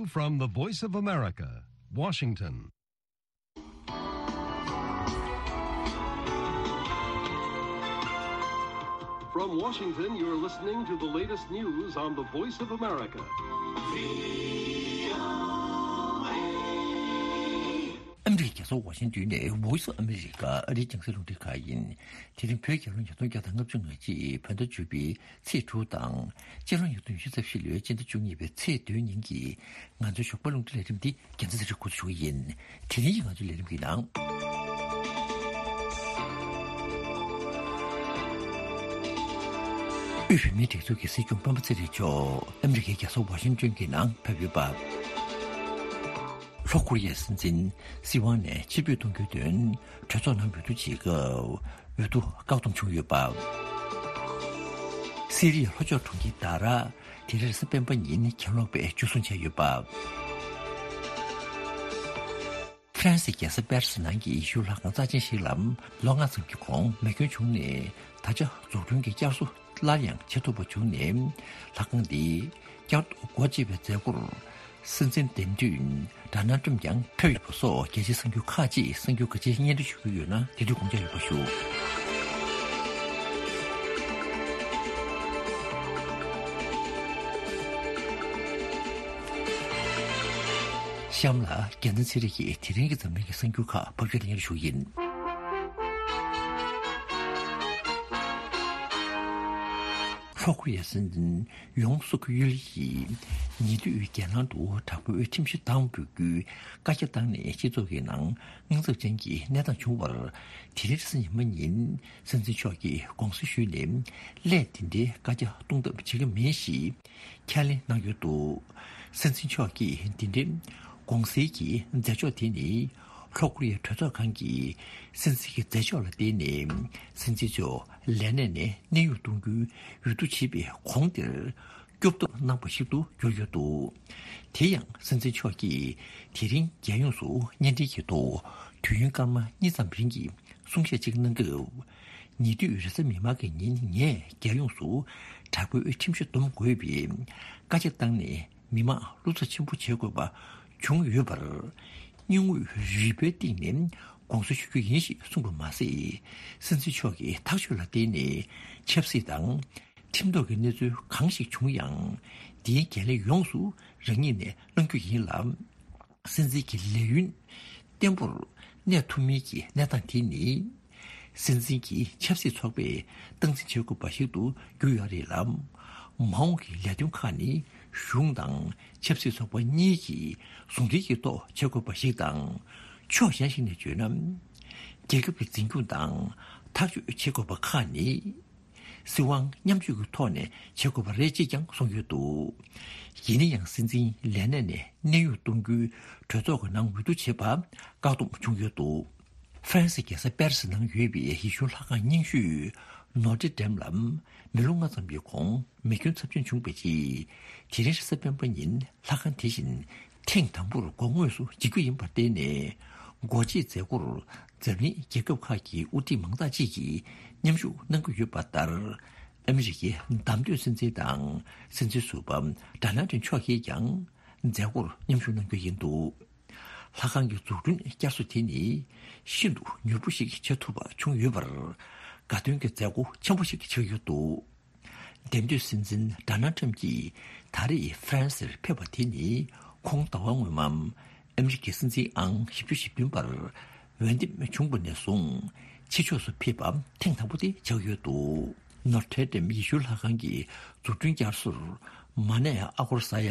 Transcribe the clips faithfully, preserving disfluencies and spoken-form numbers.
From the Voice of America, Washington. From Washington, you're listening to the latest news on the Voice of America. ཨ་མི་རི་ཀའི་རྒྱལ་ས་ཝ་ཤིང་ཏོན་ནས་Voice of America ཨ་རིའི་རྒྱང་སྲིང་རླུང་འཕྲིན་ཁང་ཡིན། དེ་རིང་བོད་རྒྱལ་ལོ་ཉིས་སྟོང་བརྒྱ་དང་ལྔ་བཅུ་ང་གཅིག་བོད་ཟླ་བཅུ་པའི་ཚེས་དྲུག་དང་། སྤྱི་ལོ་ཉིས་སྟོང་ཉི་ཤུ་རྩ་བཞི་ལོའི་སྤྱི་ཟླ་བཅུ་གཉིས་པའི་ཚེས་བདུན་ཉིན་གྱི་ང་ཚོའི་ཞོགས་པ་རླུང་འཕྲིན་ལས་རིམ་འདི་རྒྱལ་མཚན་ཚེ་རིང་འགོ་འཛུགས་ཞུ་གི་ཡིན། དེ་རིང་གི་ང་ཚོའི་ལས་རིམ་གྱི་ནང་། དབུས་བོད་མིའི་སྒྲིག་འཛུགས་ཀྱི་སྲིད་སྐྱོང་སྤེན་པ་ཚེ་རིང་མཆོག་ཨ་མི་རི་ཀའི་རྒྱལ་ས་ཝ་ཤིང་ཏོན་གྱི་ནང་ཕེབས་ཡོད་པ། ལྷོ་ཀོ་རི་ཡའི་སྲིད་འཛིན་སྲིད་དབང་ནས་ཕྱིར་འབུད་གཏོང་རྒྱུའི་དོན་གྲོས་ཚོགས་ནང་འོས་བསྡུ་བྱེད་སྐབས་འོས་བསྡུ་བཀག་སྡོམ་བྱུང་ཡོད་པ། སི་རི་ཡའི་ལྷོ་ཕྱོགས་གྲོང་ཁྱེར་དཱ་ར་དེ་རིང་རེས་གཟའ་སྤེན་པ་ཉིན་གྱེན་ལོག་པས་འཇུ་བཟུང་བྱས་ཡོད་པ། ཧྥ་རན་སིའི་རྒྱལ་ས་པེ་རི་སི་ནང་གི་ཡེ་ཤུའི་ལྷ་ཁང་རྩ་ཆེན་ཞིག་ལ་ལོ་ལྔ་ཙམ་གྱི་གོང་མེ་སྐྱོན་བྱུང་ནས། ད་ཆ་འཛུགས་སྐྲུན་གྱི་བསྐྱར་གསོ་སླར་ཡང་བྱེད་ཐུབ་པ་བྱུང་ནས། ལྷ་ཁང་འདི་བསྐྱར་དུ་སྒོ་འབྱེད་པའི་མཛད་སྒོར་སྲིད་འཛིན་འདེམས་ཐོན་ཌོ་ནལ་ཊམ་ཡང་ཕེབས་ཡོད་པ་སོགས་རྒྱལ་སྤྱིའི་གསར་འགྱུར་ཁག་ཅིག་གསར་འགྱུར་ཁག་ཅིག་སྙན་སྒྲོན་ཞུ་རྒྱུ་ཡོད་ན། དེ་དུས་དགོངས་འཇགས་ཡོད་པ་ཞུ། གཤམ་ལ་རྒྱལ་མཚན་ཚེ་རིང་གིས་དེ་རིང་གི་འཛམ་གླིང་གི་གསར་འགྱུར་ཁག་ཕབ་སྒྱུར་སྙན་སྒྲོན་ཞུ་གི་ཡིན། ལྷོ་ཀོ་རི་ཡའི་སྲིད་འཛིན་ཡོང་སུག་ཡུལ་ཡིས་ཉེ་དུས་རྒྱལ་ནང་དུ་དྲག་པོའི་ཁྲིམས་གཞི་དང་འབོད་རྒྱུའི་བཀའ་རྒྱ་བཏང་ནས་སྤྱི་ཚོགས་ཀྱི་ནང་དངངས་འཚབ་ཅན་གྱི་གནས་སྟངས་བྱུང་བར། དེ་རིང་རེས་གཟའ་ཉི་མ་ཉིན་སྲིད་འཛིན་མཆོག་གིས་དགོངས་སེལ་ཞུས་ནས། སླད་འདི་འདྲའི་བཀའ་རྒྱ་གཏོང་ཐབས་བྱེད་ཀྱི་མེད་ཞེས་ཁས་ལེན་གནང་ཡོད་འདུག། སྲིད་འཛིན་མཆོག་གིས་འདི་འདྲའི་དགོངས་སེལ་གྱི་མཛད་ཕྱོགས་དེ་ནི། ལྷོ་ཀོ་རི་ཡའི་གྲོས་ཚོགས་ཁང་གིས་སྲིད་འཛིན་གྱི་མཛད་ཕྱོགས་ལ་བརྟེན་ནས། སྲིད་འཛིན་མཆོག་ལས་གནས་ནས་གནས་དབྱུང་གཏོང་རྒྱུའི་འོས་བསྡུ་བྱེད་པའི་གོང་དེར་སྐྱོབ་ཐབས་གནང་བ་ཞིག་ཏུ་གྱུར་ཡོད་འདུག། དེ་ཡང་སྲིད་འཛིན་མཆོག་གིས་དེ་རིང་རྒྱལ་ཡོངས་སུ་བརྙན་འཕྲིན་གྱི་ཐོག་དུས་ཡུན་སྐར་མ་གཉིས་ཙམ་རིང་གི་གསུང་བཤད་ཅིག་གནང་སྐབས། ཉེ་དུས་རེས་གཟའ་མིག་དམར་གྱི་ཉིན་ངས་རྒྱལ་ཡོངས་སུ་དྲག་པོའི་ཁྲིམས་གཞི་སྡོམ་དགོས་པའི་བཀའ་རྒྱ་བཏང་ནས། མི་མང་བློ་འཚབ་ཆེན་པོ་བྱེད་དགོས་པ་བྱུང་ཡོད་པར། སྙིང་དབུས་རུས་པའི་གཏིང་ནས་དགོངས་སེལ་ཞུ་རྒྱུ་ཡིན་ཞེས་གསུངས་པ་མ་ཟད། སྲིད་འཛིན་མཆོག་གི་ཐག་གཅོད་ལ་བརྟེན་ནས་ཆབ་སྲིད་དང་ཁྲིམས་ཐོག་གི་གནས་ཚུལ་གང་ཞིག་བྱུང་ཡང་། དེའི་འགན་ལེན་ཡོངས་སུ་རང་ཉིད་ནས་བླང་རྒྱུ་ཡིན་ལ། སྲིད་འཛིན་གྱི་ལས་ཡུན་བརྟན་པོར་གནས་ཐུབ་མིན་གྱི་གནས་སྟངས་དེ་ནི། སྲིད་འཛིན་གྱི་ཆབ་སྲིད་ཚོགས་པས་སྟངས་འཛིན་བྱེད་དགོས་པ་ཞིག་ཏུ་གྱུར་ཡོད་རེད་ལ། མ་འོངས་ཀྱི་ལས་དོན་ཁག་ནི་གཞུང་དང་ཆབ་སྲིད་ཚོགས་པ་གཉིས་ཀྱིས་ཟུང་འབྲེལ་གྱི་ཐོག་བྱེད་དགོས་པ་ཞིག་དང་། ཕྱོགས་གཞན་ཞིག་ནས་བརྗོད་ན། རྒྱལ་ཁབ་ཀྱི་འཛིན་སྐྱོང་དང་ཐག་གཅོད་བྱེད་དགོས་པ་ཁག་ནི། སྲིད་དབང་མཉམ་སྤྱོད་ཀྱི་ཐོག་ནས་བྱེད་དགོས་པ་རེད་ཅེས་ཀྱང་གསུངས་ཡོད་འདུག། ཡིན་ན་ཡང་སྲིད་འཛིན་ལས་གནས་ནས་གནས་དབྱུང་གཏོང་རྒྱུའི་གྲོས་ཚོགས་ཀྱི་ནང་འོས་བསྡུ་བྱེད་པ་བཀག་སྡོམ་བྱུང་ཡོད་འདུག། ཧྥ་རན་སིའི་རྒྱལ་ས་པེ་རི་སི་ནང་ཡོད་པའི་ཡེ་ཤུའི་ལྷ་ཁང་རྙིང་ཤོས་ནོ་ཏྲེ་ཌེམ་ལ་མི་ལོ་ལྔ་ཙམ་གྱི་གོང་མེ་སྐྱོན་ཚབས་ཆེན་བྱུང་བའི་རྗེས། དེ་རིང་རེས་གཟའ་སྤེན་པ་ཉིན་ལྷ་ཁང་དེ་བཞིན་ཐེངས་དང་པོར་སྒོ་དངོས་སུ་འབྱེད་རྒྱུ་ཡིན་པར་བརྟེན་ནས། སྒོ་འབྱེད་མཛད་སྒོར་འཛམ་གླིང་རྒྱལ་ཁབ་ཁག་གི་དབུ་ཁྲིད་མང་དག་ཅིག་གིས་མཉམ་ཞུགས་གནང་གི་ཡོད་པ་ལྟར། ཨ་མི་རི་ཀའི་བདམས་ཐོན་སྲིད་འཛིན་དང་སྲིད་འཛིན་ཟུར་པ་ཌོ་ནལ་ཊམ་མཆོག་གིས་ཀྱང་མཛད་སྒོར་མཉམ་ཞུགས་གནང་རྒྱུ་ཡིན་འདུག། ལྷ་ཁང་གི་འཛུགས་སྐྲུན་བསྐྱར་གསོ་དེ་ནི་ཤིན་ཏུ་མྱུར་པོ་ཞིག་བྱེད་ཐུབ་པ་བྱུང་ཡོད་པར། དགའ་སྟོན་གྱི་མཛད་སྒོ་ཆེན་པོ་ཞིག་ཆགས་ཡོད་འདུག། འདེམས་ཐོན་སྲིད་འཛིན་ཌོ་ནལ་ཊམ་གྱིས་ད་རེས་ཧྥ་རན་སིར་ཕེབས་པ་དེ་ནི་ཁོང་ཟླ་བ་སྔོན་མ་ཨ་མི་རི་ཀའི་སྲིད་འཛིན་ཨང་བཞི་བཅུ་ཞེ་བདུན་པར་འོས་འདེམས་བྱུང་བ་ནས་བཟུང་ཕྱི་ཕྱོགས་སུ་ཕེབས་པ་ཐེངས་དང་པོ་དེ་ཆགས་ཡོད་འདུག། ནོར་ཐྲེ་ཌེམ་ཡེ་ཤུ་ལྷ་ཁང་གི་འཛུགས་སྐྲུན་བསྐྱར་གསོར་མ་གནས་ཨ་སྒོར་ས་ཡ་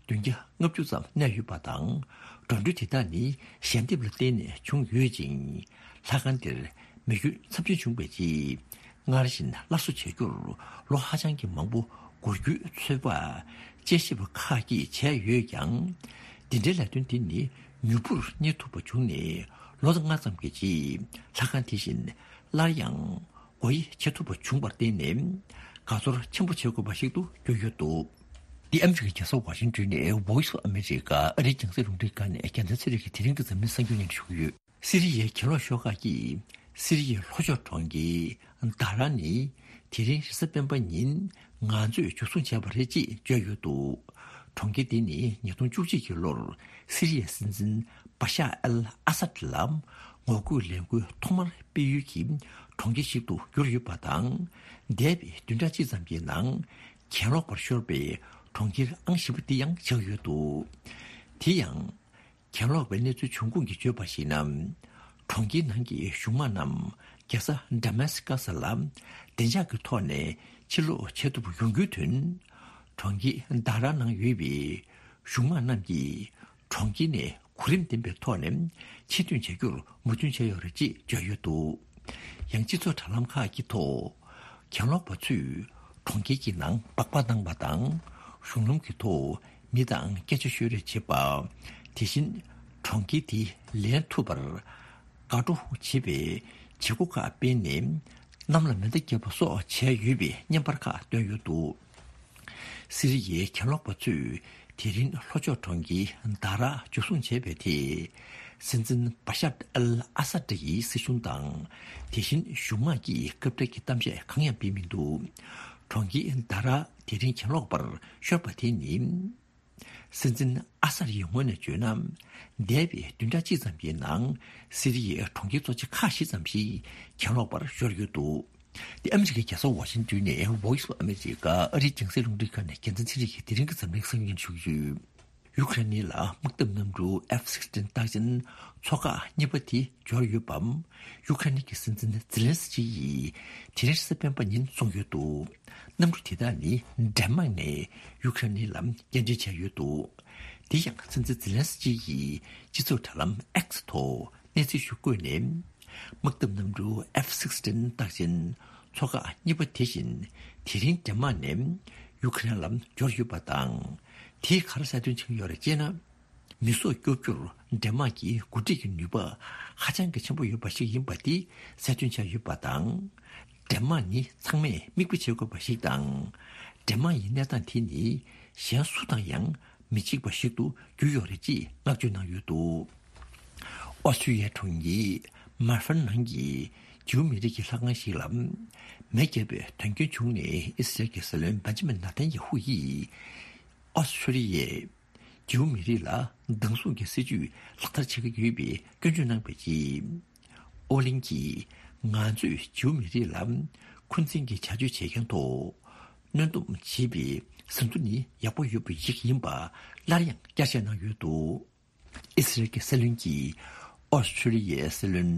བདུན་བརྒྱ་ལྔ་བཅུ་ཙམ་གནས་ཡོད་པ་དང་། འགྲོ་གྲོན་དེ་དག་ནི་ཞལ་འདེབས་ལ་བརྟེན་ནས་བྱུང་ཡོད་ཅིང་། ལྷ་ཁང་དེར་མེ་སྐྱོན་ཚབས་ཆེན་བྱུང་བའི་རྗེས། སྔར་བཞིན་སླར་གསོ་བྱ་རྒྱུར་ལོ་ཧ་ཅང་གི་མང་པོ་འགོར་རྒྱུའི་ཚོད་དཔག་དཔྱད་ཞིབ་པ་ཁག་གིས་བྱས་ཡོད་ཀྱང་། འདི་འདྲའི་ལས་དོན་འདི་ནི་མྱུར་པོར་གཉེར་ཐུབ་པ་བྱུང་ནས་ལོ་ལྔ་ཙམ་གྱི་རྗེས་ལྷ་ཁང་དེ་བཞིན་སླར་ཡང་སྒོ་དབྱེ་བྱེད་ཐུབ་པ་བྱུང་བར་བརྟེན་ནས། དགའ་ཚོར་ཆེན་པོ་བྱེད་དགོས་པ་ཞིག་ཏུ་གྱུར་ཡོད་འདུག། འདི་ཨ་མི་རི་ཀའི་རྒྱལ་ས་ཝ་ཤིང་ཏོན་ནས་Voice of America ཨ་རིའི་རྒྱང་སྲིང་རླུང་འཕྲིན་ཁང་ནས་རྒྱལ་མཚན་ཚེ་རིང་གིས་དེ་རིང་གི་འཛམ་གླིང་གསར་འགྱུར་སྙན་སྒྲོན་ཞུ་གི་ཡོད། སི་རི་ཡའི་གྱེན་ལོག་ཤོག་ཁག་གིས་སི་རི་ཡའི་ལྷོ་ཕྱོགས་གྲོང་ཁྱེར་དཱ་ར་ནི་དེ་རིང་རེས་གཟའ་སྤེན་པ་ཉིན་ང་ཚོས་འཇུ་བཟུང་བྱས་པ་རེད་ཅེས་བརྗོད་ཡོད་འདུག། གྲོང་ཁྱེར་འདི་ནི་ཉིས་སྟོང་བཅུ་གཅིག་གི་ལོར་སི་རི་ཡའི་སྲིད་འཛིན་བ་ཤ་ཨལ་ཨ་སད་ལ་ངོ་རྒོལ་ལས་འགུལ་ཐོག་མར་སྤེལ་ཡུལ་གྱི་གྲོང་ཁྱེར་ཞིག་ཏུ་གྱུར་ཡོད་པ་དང་། འདས་པའི་བདུན་ཕྲག་གཅིག་ཙམ་གྱི་ནང་གྱེན་ལོག་པར་ཤོར་བའི་གྲོང་ཁྱེར་ཨང་བཞི་པ་འདི་ཡང་ཆགས་ཡོད་འདུག་དེ་ཡང་། གྱེན་ལོག་པའི་གནས་ཚུལ་འབྱུང་ཁུངས་ཀྱིས་བརྗོད་པར་གཞིགས་ན། གྲོང་ཁྱེར་ནང་གི་གཞུང་དམག་རྣམས་རྒྱལ་ས་ཌ་མཱ་སི་ཀ་སི་ལ་བདེ་འཇགས་ཀྱི་ཐོག་ནས་ཕྱིར་ལོག་བྱེད་ཐུབ་ཡོང་རྒྱུའི་དོན། གྲོང་ཁྱེར་དཱ་ར་ནང་ཡོད་པའི་གཞུང་དམག་རྣམས་ཀྱིས་གྲོང་ཁྱེར་ནས་གོ་རིམ་ལྡན་པའི་ཐོག་ནས་ཕྱིར་ཐོན་བྱ་རྒྱུར་མོས་མཐུན་བྱས་ཡོད་རེད་ཅེས་བརྗོད་ཡོད་འདུག་ཡང་སྤྱི་ཚོགས་དྲ་ལམ་ཁག་གི་ཐོག་གྱེན་ལོག་པ་ཚོས་གྲོང་ཁྱེར་གྱི་ནང་སྦག་སྦག་བཏང་བ་དང་། གཞུང་ལམ་གྱི་ཐོག་མི་དང་སྐད་ཆ་ཤོད་རེས་བྱེད་པ། དེ་བཞིན་གྲོང་ཁྱེར་དེ་ལེན་ཐུབ་པར་དགའ་སྤྲོ་བྱེད་པའི་བྱེད་སྒོ་ཁག་སྤེལ་ནས་གནམ་ལ་མེ་མདའ་བརྒྱབ་པ་སོགས་བྱས་ཡོད་པའི་བརྙན་པར་ཁག་བཏོན་ཡོད་འདུག་སི་རི་ཡའི་གྱེན་ལོག་པ་ཚོས་དེ་རིང་ལྷོ་ཕྱོགས་གྲོང་ཁྱེར་དཱ་ར་འཇུ་བཟུང་བྱས་པའི་ཐད། སྲིད་འཛིན་བ་ཤར་ཨལ་ཨ་སཱད་ཡི་སྲིད་གཞུང་དང་། དེ་བཞིན་གཞུང་དམག་གིས་སྐབས་འཕྲལ་གྱི་གཏམ་བཤད་གང་ཡང་སྤེལ་མི་འདུག་གྲོང་ཁྱེར་དཱ་ར་དེ་རིང་གྱེན་ལོག་པར་ཤོར་བ་དེ་ནི། སྲིད་འཛིན་ཨ་སཱད་ཡི་ངོས་ནས་བརྗོད་ན། འདས་པའི་བདུན་ཕྲག་གཅིག་ཙམ་གྱི་ནང་སི་རི་ཡའི་གྲོང་ཁྱེར་གཙོ་ཆེ་ཁག་བཞི་ཙམ་ཞིག་གྱེན་ལོག་པར་ཤོར་ཡོད་འདུག་དེ་ཨ་མི་རི་ཀའི་རྒྱལ་ས་ཝ་ཤིང་ཏོན་ནས་Voice of America ཨ་རིའི་རྒྱང་སྲིང་རླུང་འཕྲིན་ཁང་ནས་རྒྱལ་མཚན་ཚེ་རིང་གིས་དེ་རིང་གི་འཛམ་གླིང་གསར་འགྱུར་ཞུ་གི་ཡོད། ཡུ་ཀེ་རེན་ལ་དམག་འཐབ་གནམ་གྲུ་ཨེཕ་སིག་སི་ཊིན་རྟགས་ཅན་ཚོ་ཁག་གཉིས་པ་དེ་འབྱོར་ཡོད་པ། ཡུ་ཀེ་རེན་གྱི་སྲིད་འཛིན་ཛེ་ལན་སི་ཀི་ཡིས་དེ་རིང་རེས་གཟའ་སྤེན་པ་ཉིན་གསུངས་ཡོད་འདུག་གནམ་གྲུ་དེ་དག་ནི་ཌེན་མཱག་ནས་ཡུ་ཀེ་རེན་ལ་སྐྱེལ་འདྲེན་བྱས་ཡོད་འདུག་དེ་ཡང་སྲིད་འཛིན་ཛེ་ལན་སི་ཀི་ཡིས་སྤྱི་ཚོགས་དྲ་ལམ་ཨེག་སི་ཐོག་གནས་ཚུལ་ཞིག་བཀོད་ནས། དམག་འཐབ་གནམ་གྲུ་ཨེཕ་སིག་སི་ཊིན་རྟགས་ཅན་ཚོ་ཁག་གཉིས་པ་དེ་བཞིན་དེ་རིང་ཌེན་མཱག་ནས་ཡུ་ཀེ་རེན་ལ་འབྱོར་ཡོད་པ་དང་། དེས་ག་རེ་གསལ་སྟོན་བྱེད་ཀྱི་ཡོད་རེད་ཅེ་ན། མེ་སྲོག་སྐྱོབ་རྒྱུར་ཌེན་མཱག་གི་འགོ་ཁྲིད་ཀྱི་ནུས་པ་ཧ་ཅང་གི་ཆེན་པོ་ཡོད་པ་ཞིག་ཡིན་པ་དེ་གསལ་སྟོན་བྱས་ཡོད་པ་དང་། ཌེན་མཱག་ནི་ཚང་མས་མིག་དཔེ་བྱེད་དགོས་པ་ཞིག་དང་། ཌེན་མཱག་ཡི་གནས་སྟངས་དེ་ནི་གཞན་སུ་དང་ཡང་མི་གཅིག་པ་ཞིག་ཏུ་གྱུར་ཡོད་རེད་ཅེས་བསྔགས་བརྗོད་གནང་ཡོད་འདུག་ཨོ་སི་ཁྲུ་ལི་ཡའི་གྲོང་ཁྱེར་མར་ཕན་ནང་གི་ཇིའུ་མི་རིགས་ཀྱི་ལྷ་ཁང་ཞིག་ལ་མེ་བརྒྱབ་པའི་དོན་རྐྱེན་བྱུང་ནས། ཨི་སི་རལ་གྱི་སྲིད་བློན་བེན་ཇ་མིན་ནཱ་ཐན་ཡ་ཧུ་ཡིས་ཨོ་སི་ཁྲུ་ལི་ཡའི་ཇིའུ་མི་རིགས་ལ་སྡང་ཟུག་གི་སྲིད་ཇུས་ལག་བསྟར་བྱེད་ཀྱི་ཡོད་པའི་སྐྱོན་བརྗོད་གནང་བའི་རྗེས། ཨོ་གླིང་གིས་ང་ཚོས་ཇིའུ་མི་རིགས་ལ་འཁོན་འཛིན་གྱི་བྱ་སྤྱོད་བྱེད་མཁན་ཐོག་གནོན་སྡོམ་བྱེད་པའི་ཟིན་ཐོ་ནི་ཡག་པོ་ཡོད་པ་ཞིག་ཡིན་པ་སླར་ཡང་བསྐྱར་བཤད་གནང་ཡོད་འདུག་ཨི་སི་རལ་གྱི་སྲིད་བློན་གྱིས་ཨོ་སི་ཁྲུ་ལི་ཡའི་སྲིད་བློན་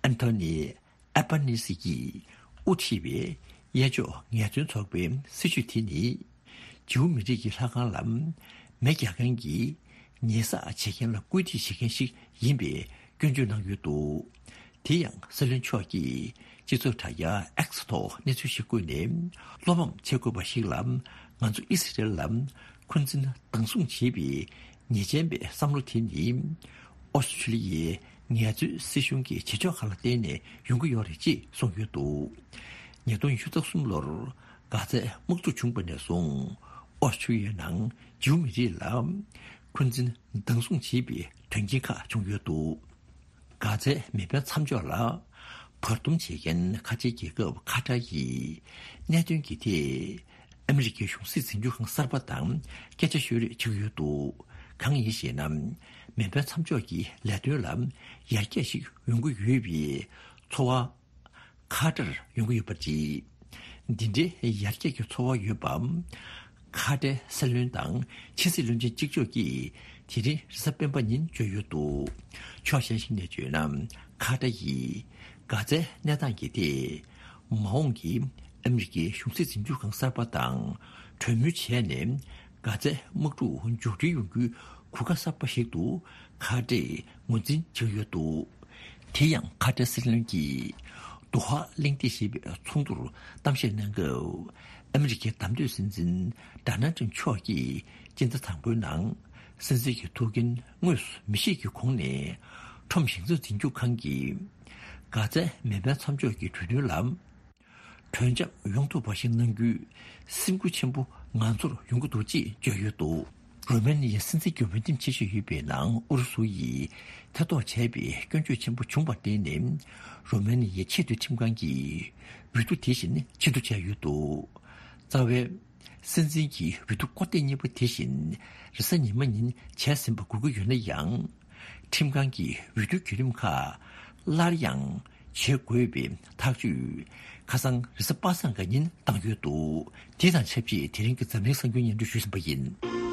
ཨན་ཐོ་ནི་ཨེ་པ་ནི་སི་ཡིས་དབུ་ཁྲིད་པའི་གཡས་ཕྱོགས་ངལ་རྩོལ་ཚོགས་པའི་སྲིད་བྱུས་དེ་ནི། ཇིའུ་མི་རིགས་ཀྱི་ལྷ་ཁང་ལ་མེ་རྒྱག་མཁན་གྱི་ཉེས་བསགས་བྱེད་མཁན་ལ་སྐུལ་འདེད་བྱེད་མཁན་ཞིག་ཡིན་པའི་སྐྱོན་བརྗོད་གནང་ཡོད་འདུག་དེ་ཡང་སྲིད་བློན་མཆོག་གིས་སྤྱི་ཚོགས་དྲ་རྒྱ་ཨེག་སི་ཐོག་གནས་ཚུལ་ཞིག་བཀོད་ནས། བློ་ཕམ་བྱེད་དགོས་པ་ཞིག་ལ། ང་ཚོ་ཨི་སི་རེལ་ལ་འཁོན་འཛིན་སྡང་ཟུག་བྱེད་པའི་ཉེས་ཅན་པའི་བསམ་བློ་དེ་ནི། ཨོ་སི་ཁྲུ་ལི་ཡའི་ངལ་རྩོལ་སྲིད་གཞུང་གི་བྱེད་ཕྱོགས་ཁག་ལ་བརྟེན་ནས་ཡོང་གི་ཡོད་རེད་ཅེས་གསུངས་ཡོད་འདུག་ཉིས་སྟོང་ཉི་ཤུ་རྩ་གསུམ་ལོར་གྷ་ཛའི་དམག་འཁྲུག་བྱུང་བ་ནས་བཟུང་། ཨོ་སི་ཁྲུ་ལི་ཡའི་ནང་ཇིའུ་མི་རིགས་ལ་འཁོན་འཛིན་སྡང་ཟུག་བྱེད་པའི་དོན་རྐྱེན་ཁག་བྱུང་ཡོད་འདུག་གྷ་ཛའི་མེ་འཕེན་མཚམས་འཇོག་ལ་བར་འདུམ་བྱེད་མཁན་ཁ་ཆེའི་རྒྱལ་ཁབ་ཁ་ཏར་ཡིས་གནད་དོན་གྱི་ཐད་ཨ་མི་རི་ཀའི་གཞུང་སྲིད་འཛིན་སྐྱོང་ཁང་གསར་པ་དང་སྐད་ཆ་ཤོད་རེས་བྱེད་ཀྱི་ཡོད་འདུག་གང་ཡིན་ཞེ་ན། མེ་འཕེན་མཚམས་འཇོག་གི་ལས་དོན་ལ་ཡར་རྒྱས་ཤིག་ཡོང་གི་ཡོད་པའི་ཚོར་བ་ཁ་ཏར་ཡོང་གི་ཡོད་པ་རེད། འདི་འདྲའི་ཡར་རྒྱས་ཀྱི་ཚོར་བ་ཡོད་པ། ཁ་ཏའི་སྲིད་བློན་དང་ཕྱི་སྲིད་བློན་ཆེན་གཅིག་ལྕོགས་ཀྱིས་དེ་རིང་རེས་གཟའ་སྤེན་པ་ཉིན་བརྗོད་ཡོད་འདུག་ཕྱོགས་གཞན་ཞིག་ནས་བརྗོད་ན། ཁ་ཏ་ཡིས་གྷ་ཛའི་གནས་སྟངས་ཀྱི་ཐད། མ་འོངས་ཀྱི་ཨ་མི་རི་ཀའི་གཞུང་སྲིད་འཛིན་སྐྱོང་ཁང་གསར་པ་དང་གྲོས་མོལ་བྱས་ནས། གྷ་ཛའི་དམག་འཁྲུག་མཇུག་སྒྲིལ་ཡོང་རྒྱུའི་གོ་སྐབས་གསར་པ་ཞིག་ཏུ་ཁ་ཏས་ངོས་འཛིན་བྱེད་ཡོད་འདུག་དེ་ཡང་ཁ་ཏའི་སྲིད་བློན་གྱིས་དོ་ཧ་གླེང་སྟེགས་ཞེས་པའི་ཚོགས་འདུར་གཏམ་བཤད་གནང་སྐབས། ཨ་མི་རི་ཀའི་བདམས་ཐོན་སྲིད་འཛིན་ཌོ་ནལ་ཊམ་མཆོག་གིས་སྤྱི་ཟླ་དང་པོའི་ནང་སྲིད་འཛིན་གྱི་ཐུགས་འགན་དངོས་སུ་མི་བཞེས་ཀྱི་གོང་ནས། ཁྲོམ་ཞིང་ཚབ་འཛིན་སྐྱོང་ཁང་གིས་གྷ་ཛའི་མེ་འཕེན་མཚམས་འཇོག་གི་གྲོས་མཐུན་ལ། གྲོས་འཆམ་ཡོང་ཐུབ་པ་ཞིག་གནང་རྒྱུའི་སེམས་འགུལ་ཆེན་པོ་ང་ཚོར་ཡོང་གི་འདུག་ཅེས་བརྗོད་ཡོད་འདུག་རོ་མེ་ནི་ཡའི་སྲིད་འཛིན་གྱི་འོས་འདེམས་བྱེད་བཞིན་ཡོད་པའི་ནང་ཨུ་རུ་སུ་ཡིས་ཐེ་གཏོགས་བྱས་པའི་སྐྱོན་བརྗོད་ཆེན་པོ་བྱུང་བར་བརྟེན་ནས། རོ་མེ་ནི་ཡའི་ཆེས་མཐོའི་ཁྲིམས་ཁང་གིས་འོས་བསྡུ་དེ་བཞིན་ཕྱིར་བསྡུ་བྱས་ཡོད་འདུག་རྩ་བའི་ སྲིད་འཛིན་གྱི་འོས་བསྡུ་སྐོར་ཐེངས་གཉིས་པ་དེ་བཞིན་རེས་གཟའ་ཉི་མ་ཉིན་བྱས་ཟིན་པ་དགོས་ཀྱི་ཡོད་ན་ཡང་། ཁྲིམས་ཁང་གིས་འོས་བསྡུ་བརྒྱུད་རིམ་ཁག་སླར་ཡང་བྱེད་དགོས་པའི་ཐག་གཅོད་ཁ་སང་རེས་གཟའ་པ་སངས་ཀྱི་ཉིན་བཏང་ཡོད་འདུག་དེ་དང་ཆབས་ཅིག་དེ་རིང་གི་འཛམ་གླིང་གསར་འགྱུར་སྙན་སྒྲོན་ཞུས་ཟིན་པ་ཡིན།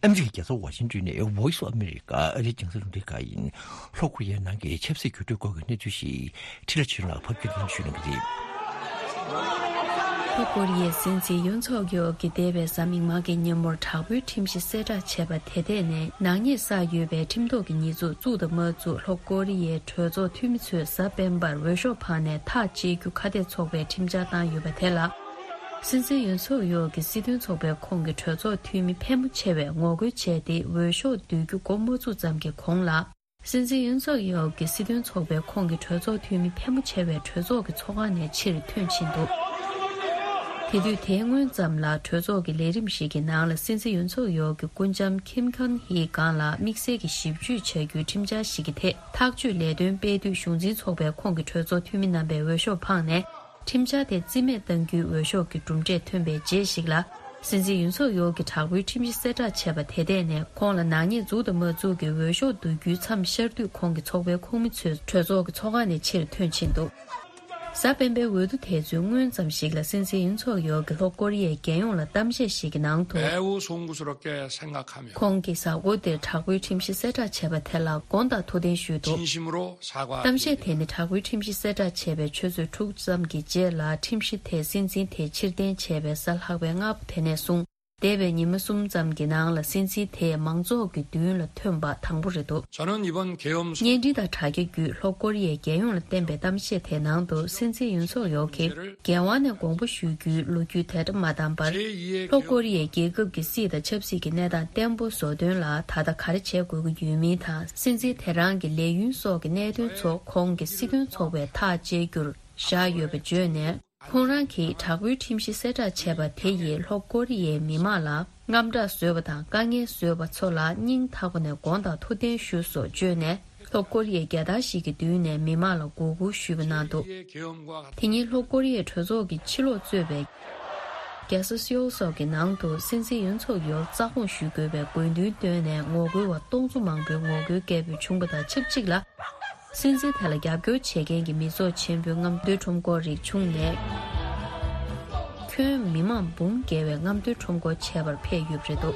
ཨ་མི་རི་ཀའི་རྒྱལ་ས་ཝ་ཤིང་ཏོན་ནས་Voice of America ཨ་རིའི་རྒྱང་སྲིང་རླུང་འཕྲིན་ཁང་ཡིན། ལྷོ་ཀོ་རི་ཡའི་ནང་གི་ཆབ་སྲིད་འགྱུར་འགྲོས་སྐོར་གྱི་གནས་ཚུལ་ཞིག་འཕྲིན་ལས་ཆོས་ལགས་ཕབ་སྒྱུར་གནང་ཞུ་གནང་གི་རེད། ལྷོ་ཀོ་རི་ཡའི་སྲིད་འཛིན་ཡོན་སུག་ཡོལ་གྱིས་འདས་པའི་གཟའ་མིག་དམར་གྱི་ཉིན་མོར་དྲག་པོའི་ཁྲིམས་གཞི་གསལ་བསྒྲགས་བྱས་པ་དེ་ཐད་ནས་ནག་ཉེས་བསགས་ཡོད་པའི་ཁྲིམས་ཐོག་གི་ཉེས་འཛུགས་བཙུགས་དང་མ་བཙུགས་ལྷོ་ཀོ་རི་ཡའི་གྲོས་ཚོགས་འཐུས་མི་ཚོས་གཟའ་སྤེན་པར་འོས་ཤོག་འཕངས་ནས་ཐག་བཅད་རྒྱུ་ཁ་གཏད་ཚོགས་པས་ཁྲིམས་འཆར་བཏང་ཡོད་པ་དེ་ལ། སྲིད་འཛིན་ཡོན་སུག་ཡོལ་གྱིས་སྲིད་དོན་ཚོགས་པའི་ཁོངས་ཀྱི་གྲོས་ཚོགས་འཐུས་མི་ཕལ་མོ་ཆེ་བས་ངོ་རྒོལ་བྱས་ཏེ་འོས་ཤོག་བསྡུ་རྒྱུ་འགོ་མ་བཙུགས་ཙམ་གྱི་གོང་ལ། སྲིད་འཛིན་ཡོན་སུག་ཡོལ་གྱི་སྲིད་དོན་ཚོགས་པའི་ཁོངས་ཀྱི་གྲོས་ཚོགས་འཐུས་མི་ཕལ་མོ་ཆེ་བས་གྲོས་ཚོགས་ཀྱི་ཚོགས་ཁང་ནས་ཕྱིར་ཐོན་ཕྱིན་འདུག་དེ་དུས་དེའི་སྔོན་ཙམ་ལ་གྲོས་ཚོགས་ཀྱི་ལས་རིམ་ཞིག་གི་ནང་ལ་སྲིད་འཛིན་ཡོན་སུག་ཡོལ་གྱི་སྐུ་ལྕམ་ཁིམ་ཁན་ཧིའི་སྒང་ལ་དམིགས་བསལ་གྱི་ཞིབ་དཔྱོད་བྱ་རྒྱུའི་ཁྲིམས་འཆར་ཞིག་གི་ཐད་ཐག་གཅོད་ལས་དོན་སྤེལ་དུས་གཞུང་འཛིན་ཚོགས་པའི་ཁོངས་ཀྱི་གྲོས་ཚོགས་འཐུས་མི་རྣམ་པས་འོས་ཤོག་འཕངས་ནས། ཁྲིམས་འཆར་དེ་རྩིས་མེད་གཏང་རྒྱུའི་འོས་ཤོག་གི་གྲུབ་འབྲས་ཐོན་པའི་རྗེས་ཤིག་ལ། སྲིད་འཛིན་ཡུན་སུག་ཡོལ་གྱིས་དྲག་པོའི་ཁྲིམས་གཞི་གསལ་བསྒྲགས་བྱས་པ་དེ་ཐད་ནས་ཁོང་ལ་ནག་ཉེས་འཛུགས་དང་མ་འཛུགས་ཀྱི་འོས་ཤོག་བསྡུ་རྒྱུའི་མཚམས་ཤར་དུས་ཁོང་གི་ཚོགས་པའི་ཁོངས་མི་ཚོས་གྲོས་ཚོགས་ཀྱི་ཚོགས་ཁང་ནས་ཕྱིར་ཐོན་ཕྱིན་འདུག་གཟའ་སྤེན་པའི་འོས་བསྡུ་དེ་ཚོའི་སྔོན་ཙམ་ཞིག་ལ་སྲིད་འཛིན་ཡུན་སུག་ཡོལ་གྱིས་ལྷོ་ཀོ་རི་ཡའི་རྒྱལ་ཡོངས་ལ་གཏམ་བཤད་ཞིག་གི་ནང་དུ། 매우 송구스럽게 생각하며 ཁོང་གིས་གཟའ་འཁོར་འདིར་དྲག་པོའི་ཁྲིམས་གཞི་གསལ་བསྒྲགས་བྱས་པ་དེ་ལ་དགོངས་དག་ཐུགས་བདེན་ཞུས་འདུག་དམ་བཤད་དེ་ནི་དྲག་པོའི་ཁྲིམས་གཞི་གསལ་བསྒྲགས་བྱས་པའི་ཆུ་ཚོད་དྲུག་ཙམ་གྱི་རྗེས་ལ་ཁྲིམས་གཞི་དེ་སྲིད་འཛིན་དེས་ཕྱིར་འཐེན་བྱས་པའི་གཟའ་ལྷག་པའི་སྔ་པོ་དེ་ནས་བཟུང་འདས་པའི་ཉི་མ་གསུམ་ཙམ་གྱི་ནང་ལ་སྲིད་འཛིན་དེས་མང་ཚོགས་ཀྱི་མདུན་ལ་ཐོན་པ་དང་པོ་རེད་འདུག་བརྙན་འཕྲིན་དང་དྲ་རྒྱ་བརྒྱུད་ལྷོ་ཀོ་རི་ཡའི་རྒྱལ་ཡོངས་ལ་བསྟན་པའི་གཏམ་བཤད་དེའི་ནང་དུ་སྲིད་འཛིན་ཡུན་སུག་ཡོལ་གྱིས། རྒྱལ་དབང་ནས་དགོངས་པ་ཞུ་རྒྱུའི་ལོ་རྒྱུས་དེ་འདྲ་མ་བཏང་བར། ལྷོ་ཀོ་རི་ཡའི་རྒྱལ་ཁབ་ཀྱི་སྲིད་དང་ཆབ་སྲིད་ཀྱི་གནས་སྟངས་བརྟན་པོ་བཟོ་དོན་ལ་ད་ལྟ་ག་རེ་བྱེད་དགོས་ཀྱི་ཡོད་མིན་དང་སྲིད་འཛིན་དེ་རང་གི་ལས་ཡུན་སོགས་ཀྱི་གནད་དོན་ཚོ་ཁོང་གི་སྲིད་དོན་ཚོགས་པས་ཐག་བཅད་རྒྱུར་བཞག་ཡོད་པ་བརྗོད་ནས། ཁོང་རང་གིས་དྲག་པོའི་ཁྲིམས་གཞི་གསལ་བསྒྲགས་བྱས་པ་དེ་ཡིས་ལྷོ་ཀོ་རི་ཡའི་མི་མང་ལ་དངངས་སྐྲག་བཟོས་པ་དང་དཀའ་ངལ་བཟོས་པ་ཚོ་ལ་སྙིང་ཐག་པ་ནས་དགོངས་དག་ཐུགས་བདེན་ཞུ་སོགས་བརྗོད་ནས། ལྷོ་ཀོ་རི་ཡའི་རྒྱལ་དར་ཞིག་གི་མདུན་ནས་མི་མང་ལ་མགོ་སྒུར་ཞུས་པ་གནང་འདུག་དེ་ཉིན་ལྷོ་ཀོ་རི་ཡའི་གྲོས་ཚོགས་ཀྱི་ཕྱི་ལོགས་གཙོས་པའི་རྒྱལ་ས་སེའུལ་སོགས་ཀྱི་ནང་དུ་སྲིད་འཛིན་ཡུན་སུག་ཡོལ་རྩ་དགོངས་ཞུ་དགོས་པའི་དགོས་འདུན་བཏོན་ནས་ངོ་རྒོལ་བ་སྟོང་ཚོ་མང་པོའི་ངོ་རྒོལ་སྐད་འབོད་བྱུང་བ་དང་ཆབས་ཅིག་ལ། སྲིད་འཛིན་དེ་ལ་རྒྱབ་སྐྱོར་བྱེད་མཁན་གྱི་མི་ཚོགས་ཆེན་པོའི་རྔམ་སྟོན་ཁྲོམ་སྐོར་རིགས་བྱུང་ནས། ཁྱོན་མི་མང་འབུམ་བརྒལ་བའི་རྔམ་སྟོན་ཁྲོམ་སྐོར་བྱས་པར་ཕེབས་ཡོད་པ་རེད་འདུག་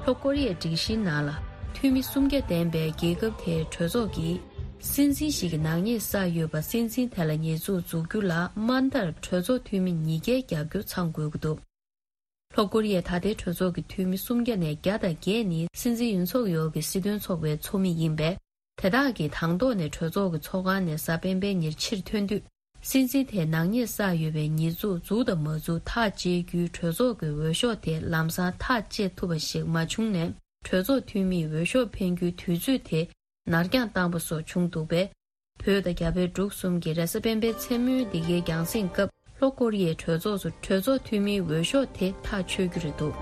ལྷོ་ཀོ་རི་ཡའི་སྒྲིག་གཞིའི་ནང་ལ། འཐུས་མི་སུམ་བརྒྱ་ལྡན་པའི་རྒྱལ་ཁབ་དེའི་གྲོས་ཚོགས་ཀྱིས། སྲིད་འཛིན་ཞིག་གིས་ནག་ཉེས་བསགས་ཡོད་པ་སྲིད་འཛིན་དེ་ལ་ཉེས་འཛུགས་འཛུགས་རྒྱུ་ལ་དམའ་མཐར་གྲོས་ཚོགས་འཐུས་མི་ཉིས་བརྒྱའི་རྒྱབ་སྐྱོར་ཚང་དགོས་ཀྱི་འདུག་ལྷོ་ཀོ་རི་ཡའི་ད་ལྟའི་གྲོས་ཚོགས་ཀྱི་འཐུས་མི་སུམ་བརྒྱ་ནས་བརྒྱ་དང་བརྒྱད་ནི་སྲིད་འཛིན་ཡུན་སུག་ཡོལ་གྱི་སྲིད་དོན་ཚོགས་པའི་ཚོགས་མི་ཡིན་པས། དེ་དག་གིས་དང་ཐོག་ནས་གྲོས་ཚོགས་ཀྱི་ཚོགས་ཁང་ནས་གཟའ་སྤེན་པའི་ཉིན་ཕྱིར་ཐོན་དུས། སྲིད་འཛིན་དེས་ནག་ཉེས་བསགས་ཡོད་པའི་ཉེས་འཛུགས་འཛུགས་དང་མ་འཛུགས་ཐག་བཅད་རྒྱུའི་གྲོས་ཚོགས་ཀྱི་འོས་ཤོག་དེ་ལམ་སང་ཐག་བཅད་ཐུབ་པ་ཞིག་མ་བྱུང་ནས། གྲོས་ཚོགས་འཐུས་མིས་འོས་ཤོག་འཕེན་རྒྱུའི་དུས་ཚོད་དེ་ནར་འགྱངས་བཏང་པ་སོགས་བྱུང་འདུག་པས། བོད་དང་རྒྱ་བལ་འབྲུག་གསུམ་གྱི་རེས་གཟའ་སྤེན་པའི་མཚན་མོའི་འདི་གའི་རྒྱང་སྲིང་སྐབས་ལྷོ་ཀོ་རི་ཡའི་གྲོས་ཚོགས་སུ་གྲོས་ཚོགས་འཐུས་མིའི་འོས་ཤོག་དེ་ཐག་ཆོད་རྒྱུ་རེད་འདུག་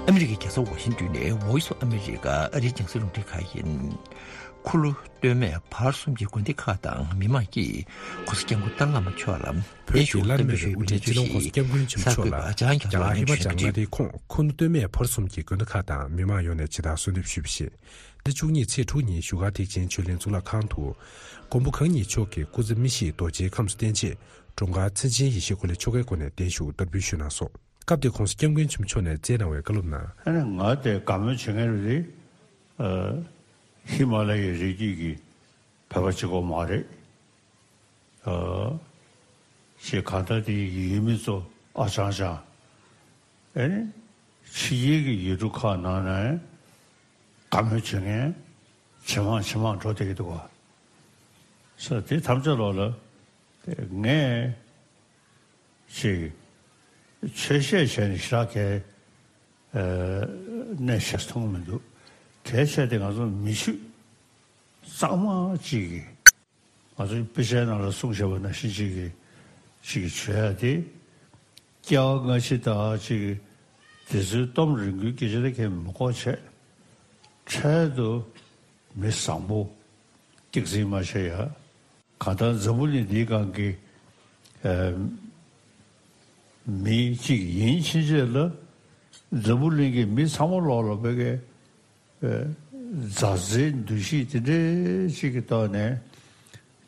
ཨ་མི་རི་ཀའི་རྒྱལ་ས་ཝ་ཤིང་ཏོན་ནས་Voice of America ཨ་རིའི་རྒྱང་སྲིང་རླུང་འཕྲིན་ཁང་ཡིན། ཁུ་ལུ་སྟོད་སྨད་བར་གསུམ་གྱི་དགོན་སྡེ་ཁག་དང་མི་མང་གིས་༸གོང་ས་༸སྐྱབས་མགོན་ཏཱ་ལའི་བླ་མ་མཆོག་ལ་བོད་ཀྱི་བརྟན་བཞུགས་བསྟོད་པའི་སྨོན་ཚིག་ཞིག་གསར་འགོད་པ་འཇམ་དབྱངས་རྒྱ་ནོར་ལགས་ནས་ཞུས་པ་རེད། ཁོང་ཁུ་ནུ་སྟོད་སྨད་བར་གསུམ་གྱི་དགོན་སྡེ་ཁག་དང་མི་མང་ཡོངས་ནས་ཇི་ལྟར་གསོལ་འདེབས་ཞུས་པ་ཞིག །འདི་བཅུ་གཉིས་ཚེས་དྲུག་ཉིན་བཞུགས་སྒར་ཐེག་ཆེན་ཆོས་གླིང་གཙུག་ལག་ཁང་དུ། མགོན་པོ་གང་ཉིད་མཆོག་གི་སྐུ་ཚེ་མི་ཤིགས་རྡོ་རྗེའི་ཁམས་སུ་བརྟན་ཆེད་འབྲོང་དཀར་མཚན་ཅན་ཡེ་ཤེས་འཁོར་ལོའི་ཆོ་གའི་སྒོ་ནས་བརྟན་བཞུགས་བསྟར་འབུལ་ཞུས་གནང་སོང་། སྐབས་དེར་༸གོང་ས་༸སྐྱབས་མགོན་ཆེན་པོ་མཆོག་ནས་བསྩལ་གནང་བའི་བཀའ་སློབ་ནང་། ཨ་ནི་ང་དེ་དགའ་མོས་བྱེད་མཁན་རེད། ཨ། ཧི་མ་ལ་ཡའི་རི་རྒྱུད་ཀྱི་བོད་པ་གཅིག་པོ་མ་རེད། ཨ། ཞེས་གང་ལྟར་དེ་ཡི་ཡུལ་མི་ཚོ་ཨ་ཅང་ཅང་། ཨ་ནི་ཕྱི་རྒྱལ་གྱི་ཡུལ་གྲུ་ཁག་ནང་ནས་དགའ་མོས་བྱེད་མཁན་ཇེ་མང་ཇེ་མང་འགྲོ་བསྡད་ཀྱི་འདུག་ག །ས་དེ་ཐམས་ཅད་ལོག་ལ་ངས་ཅིག་ཆོས་བཤད་བྱས་ནས་ཞེ་དྲག་གི་ཨ་གནས་ཤིག་མཐོང་མི་འདུག །གལ་ཆེ་དེ་ང་ཚོ་མི་ཆོས་གཙང་མ་ཅིག་གིས་ང་ཚོའི་དཔེ་ཆའི་ནང་ལ་གསུངས་བཞག་པ་ནང་བཞིན་ཅིག་གིས་ཅིག་གིས་བྱོས་ཡ་དེ་ སྐྱེ་བ་སྔ་ཕྱི་དང་ཅིག་དེ་ཚོའི་གཏམ་རིང་པོའི་སྐད་ཆ་ལ་ཁྱེད་མི་གོ་བྱས། འཕྲལ་དུ་མི་བཟང་པོ་སྐྱག་རྫུན་མ་བྱེད་ཡ། གང་ལྟར་འཛམ་བུ་གླིང་འདིའི་སྒང་གི་ཨ་མི་གཅིག་ཡིན་ཕྱིན་ཆད་ལ། འཛམ་བུ་གླིང་གི་མི་ཚང་མ་ལོག་ལ་བོད་སྐད་མཛའ་བརྩེའི་འདུ་ཤེས་དེ་འདྲའི་ཅིག་གི་ཐོག་ནས་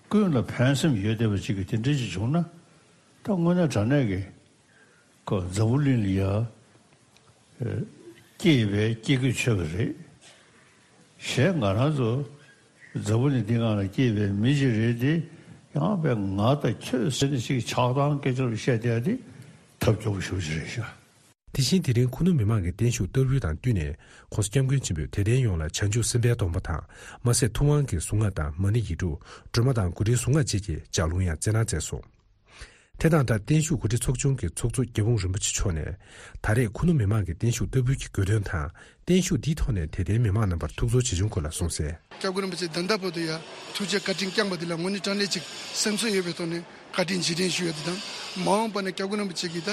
ཀུན་ལ་ཕན་སེམས་ཡོད་བསྡད་པ་ཅིག་གི་དེ་འདྲའི་ཅིག་བྱུང་ན། ད་དངོས་གནས་དྲང་གནས་ཀྱི་ཁོ་འཛམ་བུ་གླིང་ལ་ཡ་སྐྱེས་པའི་སྐྱེ་དགུས་ཆོད་པ་རེད། གཞན་ང་རང་ཚོ་འཛམ་བུ་གླིང་འདི་སྒང་ལ་སྐྱེས་པའི་མི་ཅིག་རེད་དེ། ཡང་བས་ང་དང་ཁྱོད་ཟེར་ནས་ཅིག་ཆགས་སྡང་སྐད་ཆ་བཤད་བསྡད་ཡ་དེ་ཐབས་སྐྱོ་པོ་ཞེ་པོ་ཅིག་རེད་ཤག། དེ་བཞིན་དེ་རིང་ཁུ་ནུ་མི་མང་གི་བརྟན་བཞུགས་བསྟར་འབུལ་དང་བསྟུན་ནས། ྋགོང་ས་ྋསྐྱབས་མགོན་ཆེན་པོས་དད་ལྡན་ཡོངས་ལ་བྱང་ཆུབ་སེམས་དཔའི་སྡོམ་པ་དང་། མ་ཟད་ཐུབ་དབང་གི་གཟུངས་སྔགས་དང་མ་ཎི་ཡིག་དྲུག་སྒྲོལ་མ་དང་གོ་སྒྲིག་གཟུངས་སྔགས་བཅས་ཀྱི་ལྗགས་ལུང་ཡང་སྩལ་གནང་མཛད་སོང་། དེ་དང་སྦྲགས་བརྟན་བཞུགས་གོ་སྒྲིག་ཚོགས་ཆུང་གི་ཚོགས་གཙོ་རྒྱ་སྤུངས་རིན་པོ་ཆེ་མཆོག་ནས། ད་རེས་ཁུ་ནུ་མི་མང་གི་བརྟན་བཞུགས་བསྟར་འབུལ་གྱི་དགོས་དོན་དང་། བརྟན་བཞུགས་འདིའི་ཐོག་ནས་དད་ལྡན་མི་མང་རྣམ་པར་ཐུགས་ཚོར་ཇི་བྱུང་སྐོར་ལ་གསུངས་གསལ། སྐྱབས་མགོན་རིན་པོ་ཆེ་ད་ལྟ་བར་དུ་ཡང་ཐུགས་རྗེ་བཀའ་དྲིན་བསྐྱངས་པ་འདི་ལ་དངོས་གནས་དྲང་གནས་ཅིག་སེམས་ཚོར་ཡོད་པའི་ཐོག་ནས་བཀའ་དྲིན་རྗེས་དྲན་ཞུ་ཡ་འདི་དང་། མ་འོངས་པ་ན་སྐྱབས་མགོན་རིན་པོ་ཆེ་གིས་ད་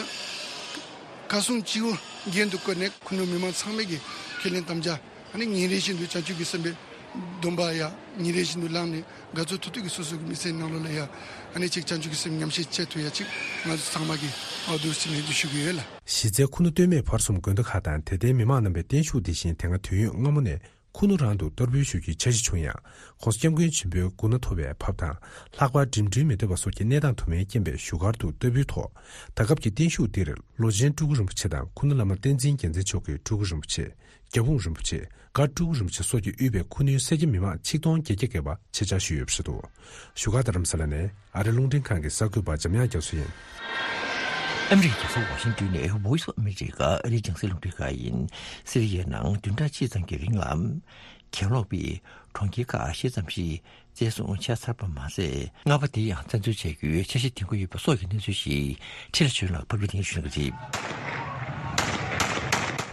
བཀའ་གསུང་སྤྱི་བོ་རྒྱན་དུ་བཀོད་ནས་ཁུ་ནུ་མི་མང་ཚང་མས་ཀྱི་ཁས་ལེན་དམ་བཅའ། ཨ་ནི་ཉིན་རེ་བཞིན་དུ་བྱང་ཆུབ་ཀྱི་སེམས་དཔའི་སྡོམ་པ་ཡ་ཉིན་རེ་བཞིན་དུ་བླངས་ནས། དགའ་ཚོར་ཐུབ་ཐུབ་ཀྱི་སོ་སོ་གི་མི་ཚེའི་ནང་ལོགས་ལ་ཡ་ཨ་ནི་ཅིག་བྱང་ཆུབ་ཀྱི་སེམས་ཉམས་བཞེས་བྱེད་ཐུབ་ཡ་ཅིག་ང་ཚོ་ཚང་མ་གི་འོས་བསྡུ་ཞིག་ནས་འདུ་ཤུགས་ཡོད་ལ། གཞི་རྩའི་ཁུ་ནུ་སྟོད་སྨད་བར་གསུམ་དགོན་སྡེ་ཁག་དང་དད་ལྡན་མི་མང་རྣམ་པའི་བརྟན་བཞུགས་འདི་བཞིན་དེ་སྔ་དུས་ཡུན་སྔ་མོ་ནས་ཁུ་ནུ་རང་དུ་བསྟར་འབུལ་ཞུ་རྒྱུའི་འཆར་གཞི་བྱུང་ཡང་། ྋགོང་ས་ྋསྐྱབས་མགོན་ཆེན་པོའི་སྐུ་ན་ཐོབ་པའི་བབ་དང་། ལྷག་པར་འགྲིམ་འགྲུལ་མི་འདོད་པ་སོགས་ཀྱི་གནས་སྟངས་དུ་མའི་རྐྱེན་པས་བཞུགས་སྒར་དུ་བསྟར་འབུལ་ཐོག་ད་སྐབས་ཀྱི་བརྟན་བཞུགས་འདིར་ལོ་ཆེན་སྤྲུལ་སྐུ་རིན་པོ་ཆེ་དང་ཁུ་ནུ་བླ་མ་བསྟན་འཛིན་རྒྱལ་མཚན་མཆོག་གི་སྤྲུལ་སྐུ་རིན་པོ་ཆེ། རྒྱ་སྤུངས་རིན་པོ་ཆེ། སྒར་སྤྲུལ་སྐུ་རིན་པོ་ཆེ་སོགས་ཀྱིས་དབུས་པའི་ཁུ་ནུའི་སེར་སྐྱ་མི་མང་ཆིག་སྟོང་བརྒྱད་བརྒྱ་བརྒལ་བ་ཆེད་བཅར་ཞུས་ཡོད་པ་རེད་འདུག། བཞུགས་སྒར་རྡ་རམ་ས་ལ་ནས་ཨ་རི་རླུང་འཕྲིན་ཁང་གི་གསར་འགོད་པ་འཇམ་དབྱངས་རྒྱ་མཚོ་ཡིན། ཨ་མི་རི་ཀའི་རྒྱལ་ས་ཝ་ཤིང་ཏོན་ནས་Voice of America ཨ་རིའི་རྒྱང་སྲིང་རླུང་འཕྲིན་ཁང་ཡིན། སི་རི་ཡའི་ནང་བདུན་ཕྲག་གཅིག་ཙམ་གྱི་རིང་ལ། གྱེན་ལོག་པས་གྲོང་ཁྱེར་ཁག་ཤེས་ཙམ་ཞིག་བཙན་བཟུང་བྱས་ཚར་བ་མ་ཟད། ལྔ་པ་དེ་ཡང་བཙན་འཛུལ་བྱ་རྒྱུའི་འཆར་གཞི་འདིང་གི་ཡོད་པ་སོགས་ཀྱི་གནས་ཚུལ་ཞིག་ཁྲི་ལ་བྱོན་ལགས་ཕབ་སྒྱུར་གནང་ཞུ་གནང་གི་རེད།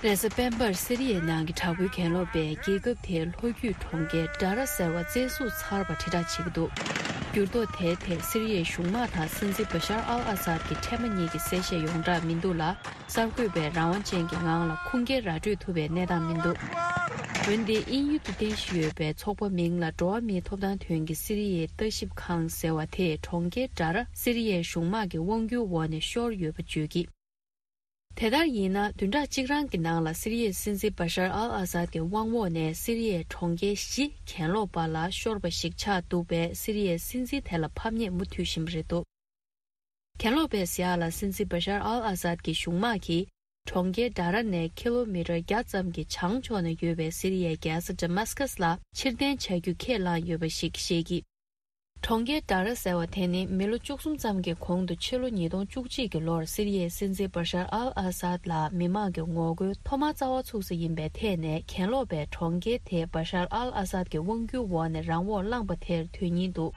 རེས་གཟའ་སྤེན་པར་སི་རི་ཡའི་ནང་གི་དྲག་པོའི་གྱེན་ལོག་པས་རྒྱལ་ཁབ་དེའི་ལྷོ་རྒྱུད་གྲོང་ཁྱེར་ཌ་ར་ཟེར་བ་བཙན་བཟུང་ཚར་བ་དྲིལ་བསྒྲགས་བྱེད་ཀྱི་འདུག། འགྱུར་ལྡོག་དེའི་ཐད་སི་རི་ཡའི་གཞུང་དམག་དང་སྲིད་འཛིན་བ་ཤར་ཨལ་ཨ་སཱད་ཀྱི་འཕྲལ་མ་གཉིས་ཀྱི་གསལ་བཤད་ཡོངས་གྲགས་མི་འདུག་ལ། གསར་འགོད་པས་རང་དབང་ཅན་གྱི་ངང་ལ་ཁུངས་སྐྱེལ་ར་སྤྲོད་ཐུབ་པའི་གནས་སྟངས་མི་འདུག། འོན་ཏེ་དབྱིན་ཡུལ་དུ་རྟེན་གཞི་ཡོད་པའི་ཚོགས་པ་མིང་ལ་འགྲོ་བ་མིའི་ཐོབ་ཐང་དོན་གྱི་སི་རི་ཡའི་ལྟ་ཞིབ་ཁང་ཟེར་བ་དེས་གྲོང་ཁྱེར་ཌ་ར་སི་རི་ཡའི་གཞུང་དམག་གི་དབང་སྒྱུར་འོག་ནས་ཤོར་ཡོད་པ་བརྗོད་ཀྱིས། དེ་ལྟར་ཡིན་ན་བདུན་ཕྲག་གཅིག་རང་གི་ནང་ལ་སི་རི་ཡའི་སྲིད་འཛིན་བ་ཤར་ཨལ་ཨ་སཱད་ཀྱི་དབང་འོག་ནས་སི་རི་ཡའི་གྲོང་ཁྱེར་བཞི་གྱེན་ལོག་པ་ལ་ཤོར་བ་ཞིག་ཆགས་འདུག་པས་སི་རི་ཡའི་སྲིད་འཛིན་དེ་ལ་ཕམ་ཉེས་མུ་མཐུད་བཞིན་པ་རེད་འདུག། གྱེན་ལོག་པས་ཟེར་ཡག་ལ་སྲིད་འཛིན་བ་ཤར་ཨལ་ཨ་སཱད་ཀྱི་གཞུང་དམག་གིས་གྲོང་ཁྱེར་ཌ་ར་ནས་ཁི་ལོ་མི་ཊར་བརྒྱ་ཙམ་གྱི་བྱང་ཕྱོགས་ན་ཡོད་པའི་སི་རི་ཡའི་རྒྱལ་ས་ཌ་མཱ་སི་ཀཱས་ལ་ཕྱིར་འཐེན་བྱ་རྒྱུ་ཁས་བླངས་ཡོད་པ་ཞིག་བཤད་ཀྱིས། གྲོང་ཁྱེར་ཌ་ར་ཟེར་བ་དེ་ནི་མི་ལོ་བཅུ་གསུམ་ཙམ་གྱི་གོང་དུ་ཕྱི་ལོ་ཉིས་སྟོང་བཅུ་གཅིག་གི་ལོར་སི་རི་ཡའི་སྲིད་འཛིན་བ་ཤར་ཨལ་ཨ་སཱད་ལ་མི་མང་གི་ངོ་རྒོལ་ཐོག་མར་རྩ་བ་ཚུགས་ས་ཡིན་པའི་ཐད་ནས་གྱེན་ལོག་པས་གྲོང་ཁྱེར་དེ་བ་ཤར་ཨལ་ཨ་སཱད་ཀྱི་དབང་སྒྱུར་འོག་ནས་རང་དབང་བླངས་པ་དེར་དོན་སྙིང་འདུག།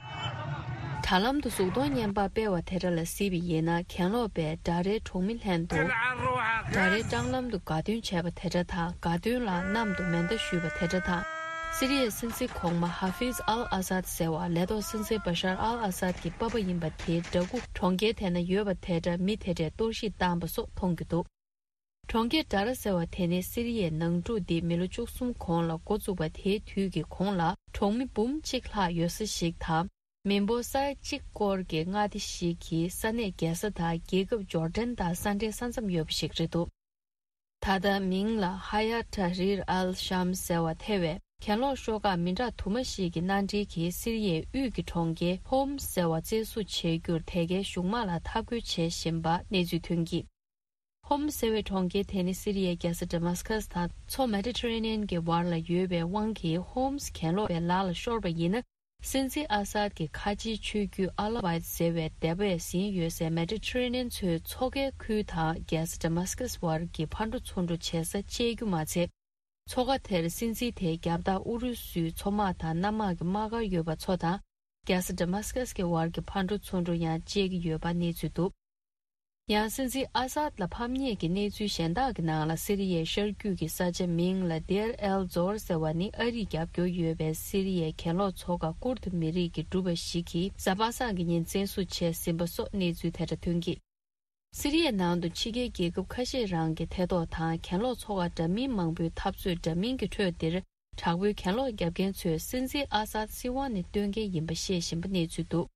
དྲ་ལམ་དུ་གཟུགས་མཐོང་བརྙན་པར་སྤེལ་བ་དེ་འདྲ་ལ་གཟིགས་པ་ཡིན་ན། གྱེན་ལོག་པས་ཌ་རའི་གྲོང་མི་ལྷན་དུ་ཌ་རའི་སྲང་ལམ་དུ་དགའ་སྟོན་བྱས་པ་དེ་འདྲ་དང་། དགའ་སྟོན་ལ་གནམ་དུ་མེ་མདའ་གཞུས་པ་དེ་འདྲ་དང་། སི་རི་ཡའི་སྲིད་འཛིན་གོང་མ་ཧ་ཧྥིཛ་ཨལ་ཨ་སཱད་ཟེར་བ་ལས་ཐོག་སྲིད་འཛིན་བ་ཤར་ཨལ་ཨ་སཱད་ཀྱི་པ་ཕ་ཡིན་པ་དེའི་འདྲ་སྐུ་གྲོང་ཁྱེར་དེ་ན་ཡོད་པ་དེ་འདྲ་མི་དེ་འདྲས་གཏོར་བཤིག་བཏང་པ་སོགས་མཐོང་རྒྱུ་འདུག། གྲོང་ཁྱེར་ཌ་ར་ཟེར་བ་དེ་ནི་སི་རི་ཡའི་ནང་འཁྲུག་འདི་མི་ལོ་བཅུ་གསུམ་གོང་ལ་འགོ་བཙུགས་པ་དེའི་དུས་ཀྱི་གོང་ལ་གྲོང་མི་འབུམ་གཅིག་ལྷག་ཡོད་ས་ཞིག་དང་། མི་འབོར་ས་ཡ་གཅིག་སྐོར་གྱི་མངའ་སྡེ་ཞིག་གི་ས་གནས་རྒྱལ་ས་དང་རྒྱལ་ཁབ་ཇོར་ཌན་དང་ས་འབྲེལ་ས་མཚམས་ཡོད་པ་ཞིག་རེད་འདུག། ད་ལྟ་མིང་ལ་ཧ་ཡ་ཏྲ་རིར་ཨལ་ཤམ་ཟེར་བ་ཐེ་བའི་གྱེན་ལོག་ཤོག་ཁག་མི་འདྲ་དུ་མ་ཞིག་གི་མནའ་འབྲེལ་གྱིས་སི་རི་ཡའི་དབུས་ཀྱི་གྲོང་ཁྱེར་ཧོམ་སི་ཟེར་བ་བཙན་བཟུང་བྱེད་རྒྱུར་དེ་གའི་གཞུང་དམག་ལ་འཐབ་རྒོལ་བྱེད་བཞིན་པ་གནས་ཚུལ་ཐོན་གྱིས། ཧོམ་སི་ཟེར་བའི་གྲོང་ཁྱེར་དེ་ནི་སི་རི་ཡའི་རྒྱལ་ས་ཌ་མཱ་སི་ཀཱས་དང་མཚོ་མེ་ཌི་ཊ་རེ་ནི་ཡན་གྱི་བར་ལ་ཡོད་པའི་དབང་གིས། ཧོམ་སི་གྱེན་ལོག་པའི་ལག་ལ་ཤོར་བ་ཡིན་ན། སྲིད་འཛིན་ཨ་སཱད་ཀྱི་ཁ་ཆེའི་ཆོས་བརྒྱུད་ཨ་ལ་ཝའེད་ཟེར་བའི་སྡེ་པས་ཟིན་ཡོད་སའི་མེ་ཌི་ཊ་རེ་ནི་ཡན་མཚོའི་མཚོ་ཁའི་ཁུལ་དང་རྒྱལ་ས་ཌ་མཱ་སི་ཀཱས་བར་གྱི་ཕར་འགྲོ་ཚུར་འགྲོ་བྱེད་ས་བཅད་རྒྱུ་མ་ཚད། མཚོ་ཁ་དེར་སྲིད་འཛིན་དེའི་རྒྱབ་ལྟ་ཨུ་རུ་སུའི་མཚོ་དམག་དང་གནམ་དམག་གི་དམག་སྒར་ཡོད་པ་ཚོ་དང་། རྒྱལ་ས་ཌ་མཱ་སི་ཀཱས་ཀྱི་བར་གྱི་ཕར་འགྲོ་ཚུར་འགྲོ་ཡང་བཅད་ཀྱི་ཡོད་པ་གནས་ཚུལ་འདུག། ཡང་སྲིད་འཛིན་ཨ་སཱད་ལ་ཕམ་ཉེས་ཀྱི་གནས་ཚུལ་གཞན་དག་གི་ནང་ལ། སི་རི་ཡའི་ཤར་རྒྱུད་ཀྱི་ས་ཆ་མིང་ལ་དེར་ཨེལ་ཛོར་ཟེར་བ་ནི་ཨ་རིས་རྒྱབ་སྐྱོར་ཡོད་པའི་སི་རི་ཡའི་གྱེན་ལོག་ཚོགས་ཁག་ཀུར་དི་མི་རིགས་ཀྱི་སྒྲུབ་པ་ཞིག་གིས་གཟའ་པ་སངས་ཀྱི་ཉིན་བཙན་བཟུང་བྱས་ཟིན་པ་སོགས་གནས་ཚུལ་དེ་འདྲ་ཐོན་གྱིས། སི་རི་ཡའི་ནང་དུ་ཕྱི་རྒྱལ་རྒྱལ་ཁབ་ཁ་ཤས་རང་གི་ཐེ་གཏོགས་དང་གྱེན་ལོག་ཚོགས་པ་འདྲ་མིན་མང་པོའི་འཐབ་རྩོད་འདྲ་མིན་གྱི་ཁྲོད་འདིར། དྲག་པོའི་གྱེན་ལོག་བརྒྱབ་མཁན་ཚོས་སྲིད་འཛིན་ཨ་སཱད་སྲིད་དབང་ནས་བཏོན་མཁན་ཡིན་པ་བཤད་བཞིན་པ་གནས་ཚུལ་འདུག་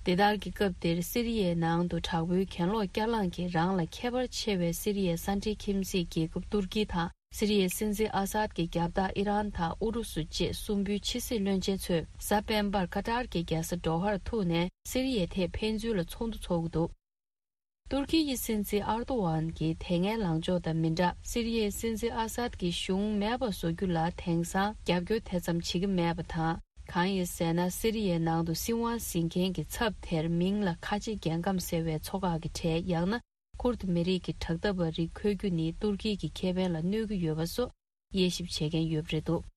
དེ་ལྟར་གྱི་སྐབས་འདིར་སི་རི་ཡའི་ནང་དུ་དྲག་པོའི་གྱེན་ལོག་བསྐྱར་ལངས་ཀྱིས་རང་ལ་ཁྱད་པར་ཆེ་བའི་སི་རི་ཡའི་ས་འབྲེལ་ཁྱིམ་མཚེས་རྒྱལ་ཁབ་ཏུར་ཀི་དང་སི་རི་ཡའི་སྲིད་འཛིན་ཨ་སཱད་ཀྱི་རྒྱབ་ལྟ་ཨི་རན་དང་ཨུ་རུ་སུ་བཅས་གསུམ་པོའི་ཕྱི་སྲིད་བློན་ཆེན་ཚོས་གཟའ་སྤེན་པར་ཀ་ཏར་གྱི་རྒྱལ་ས་དོ་ཧར་ཐུག་ནས་སི་རི་ཡའི་ཐད་ཕན་ཚུན་ལ་ཚོགས་འདུ་འཚོགས་ཀྱི་འདུག་ཏུར་ཀི་ཡི་སྲིད་འཛིན་ཨར་ཏོ་ཝན་གྱིས་དེ་སྔའི་ལངས་ཕྱོགས་དང་མི་འདྲ། སི་རི་ཡའི་སྲིད་འཛིན་ཨ་སཱད་ཀྱི་གཞུང་མེད་པ་བཟོ་རྒྱུ་ལ་དེང་སང་རྒྱབ་སྐྱོར་དེ་ཙམ་བྱེད་ཀྱི་མེད་པ་དང་། གང་ཡིན་ཟེར་ན། སི་རི་ཡའི་ནང་དུ་སྲིད་དབང་ཟིན་མཁན་གྱི་ཚབ་དེར་མིང་ལ་ཁ་ཆེ་རྒྱལ་ཁམས་ཟེར་བའི་ཚོ་ཁག་གི་གྲས། ཡང་ན་ཁུར་དུ་མི་རིགས་ཀྱི་དྲག་འཐབ་པ་རིགས་འཁོད་རྒྱུ་ནི་ཏུར་ཀི་གི་ཁེ་ཕན་ལ་གནོད་ཀྱི་ཡོད་པ་སོགས་དབྱེ་ཞིབ་བྱེད་མཁན་ཡོད་པ་རེད་འདུག་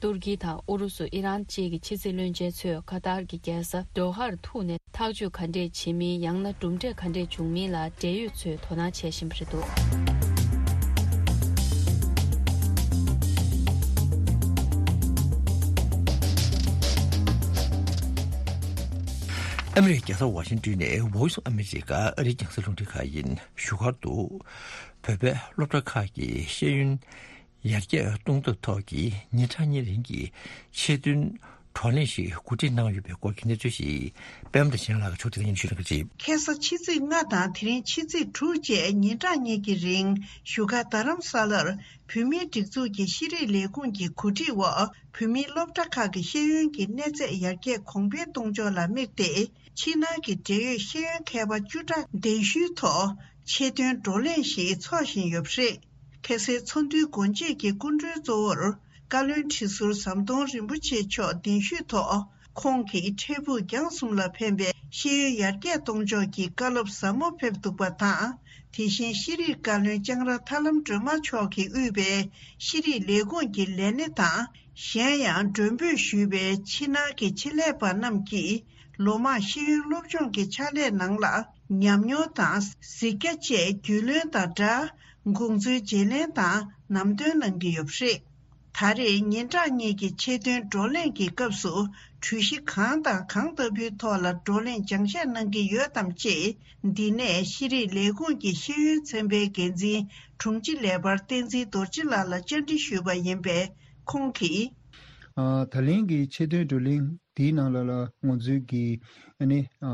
ཏུར་ཀི་དང་ཨུ་རུ་སུ། ཨི་རན་བཅས་ཀྱི་ཕྱི་སྲིད་བློན་ཆེན་ཚོས་ཀ་ཏར་གྱི་རྒྱལ་ས་དོ་ཧར་ཐུག་ནས་ཐག་གཅོད་ག་འདྲས་བྱེད་མིན། ཡང་ན་གྲུབ་འབྲས་ག་འདྲས་བྱུང་མིན་ལ་འབྲེལ་ཡོད་ཚོས་དོ་སྣང་བྱེད་བཞིན་པ་རེད་འདུག་ཨ་མི་རི་ཀའི་རྒྱལ་ས་ཝ་ཤིང་ཏོན་ནས་Voice of America ཨ་རིའི་རྒྱང་སྲིང་རླུང་འཕྲིན་ཁང་ཡིན། བཞུགས་སྒར་དུ་བོད་པའི་སློབ་གྲྭ་ཁག་གི་ཤེས་ཡོན་ཡར་རྒྱས་གཏོང་ཐབས་ཐོག་གི་ཉིན་གྲངས་གཉིས་རིང་གི་ཆེད་དོན་བགྲོ་གླེང་ཞིག་གོ་སྒྲིག་གནང་ཡོད་པའི་སྐོར་གྱི་གནས་ཚུལ་ཞིག་པད་མ་བདེ་ཆེན་ལགས་ཀྱིས་ཕྱོགས་སྒྲིག་སྙན་ཞུ་གནང་གི་རེད། ཁ་སང་ཕྱི་ཚེས་ལྔ་དང་དེ་རིང་ཕྱི་ཚེས་དྲུག་བཅས་ཉིན་གྲངས་གཉིས་ཀྱི་རིང་བཞུགས་སྒར་རྡ་རམ་ས་ལར་བོད་མིའི་སྒྲིག་འཛུགས་ཀྱི་ཤེས་རིག་ལས་ཁུངས་ཀྱི་གོ་སྒྲིག་འོག་བོད་མིའི་སློབ་གྲྭ་ཁག་གི་ཤེས་ཡོན་གྱི་གནས་ཚད་ཡར་རྒྱས་གོང་འཕེལ་གཏོང་ཕྱོགས་ལ་དམིགས་ཏེ། ཕྱི་ནང་གི་འབྲེལ་ཡོད་ཤེས་ཡོན་མཁས་པ་བཅུ་ཕྲག་གདན་ཞུའི་ཐོག་ཆེད་དོན་བགྲོ་གླེང་ཞིག་འཚོགས་བཞིན་ཡོད་པ་རེད། ཁ་སང་ཚོགས་འདུའི་སྒོ་འབྱེད་ཀྱི་སྐུ་མགྲོན་གཙོ་བོར་བཀའ་བློན་ཁྲི་ཟུར་ཟམ་གདོང་རིན་པོ་ཆེ་མཆོག་གདན་ཞུས་ཐོག་ཁོང་གིས་འཕྲལ་ཕུགས་རྒྱང་གསུམ་ལ་ཕན་པའི་ཤེས་ཡོན་ཡར་རྒྱས་གཏོང་ཕྱོགས་ཀྱི་བཀའ་སློབ་ཟབ་མོ་ཕེབས་འདུག་པ་དང་། དེ་བཞིན་ཤེས་རིག་བཀའ་བློན་ལྕང་ར་ཐར་ལམ་སྒྲོལ་མ་མཆོག་གིས་དབུས་པའི་ཤེས་རིག་ལས་ཁུངས་ཀྱི་ལས་སྣེ་དང་། གཞན་ཡང་མགྲོན་འབོད་ཞུས་པའི་ཕྱི་ནང་གི་ཆེད་ལས་པ་རྣམས་ཀྱིས་ལོ་མང་ཤེས་ཡོན་སློབ་སྦྱོང་གི་ཕྱག་ལས་ནང་ལ་ཉམས་མྱོང་དང་གཟིགས་རྒྱ་བཅས་རྒྱུས་ལོན་དང་སྦྲགས། དགོངས་ཚུལ་བརྗེ་ལེན་དང་ནམ་སྟོན་གནང་གི་ཡོད་པ་རེད། ད་རེས་ཉིན་གྲངས་གཉིས་ཀྱི་ཆེད་དོན་བགྲོ་གླེང་གི་སྐབས་སུ་གྲོས་གཞི་གང་དང་གང་ལྟ་བུའི་ཐོག་ལ་བགྲོ་གླེང་སྦྱང་བཤད་གནང་གི་ཡོད་དམ་ཅེས། འདི་ནས་ཤེས་རིག་ལས་ཁུངས་ཀྱི་ཤེས་ཡོན་ཚན་པའི་འགན་འཛིན་དྲུང་ཆེ་ལས་འཕར་བསྟན་འཛིན་རྡོ་རྗེ་ལགས་ལ་བཅར་འདྲི་ཞུས་པ་ཡིན་པས། ཁོང་གིས། ཨ། ད་ལན་གྱི་ཆེད་དོན་བགྲོ་གླེང་འདིའི་ནང་ལ་ལ་ང་ཚོའི་གི་ཨ་ནི་ཨ་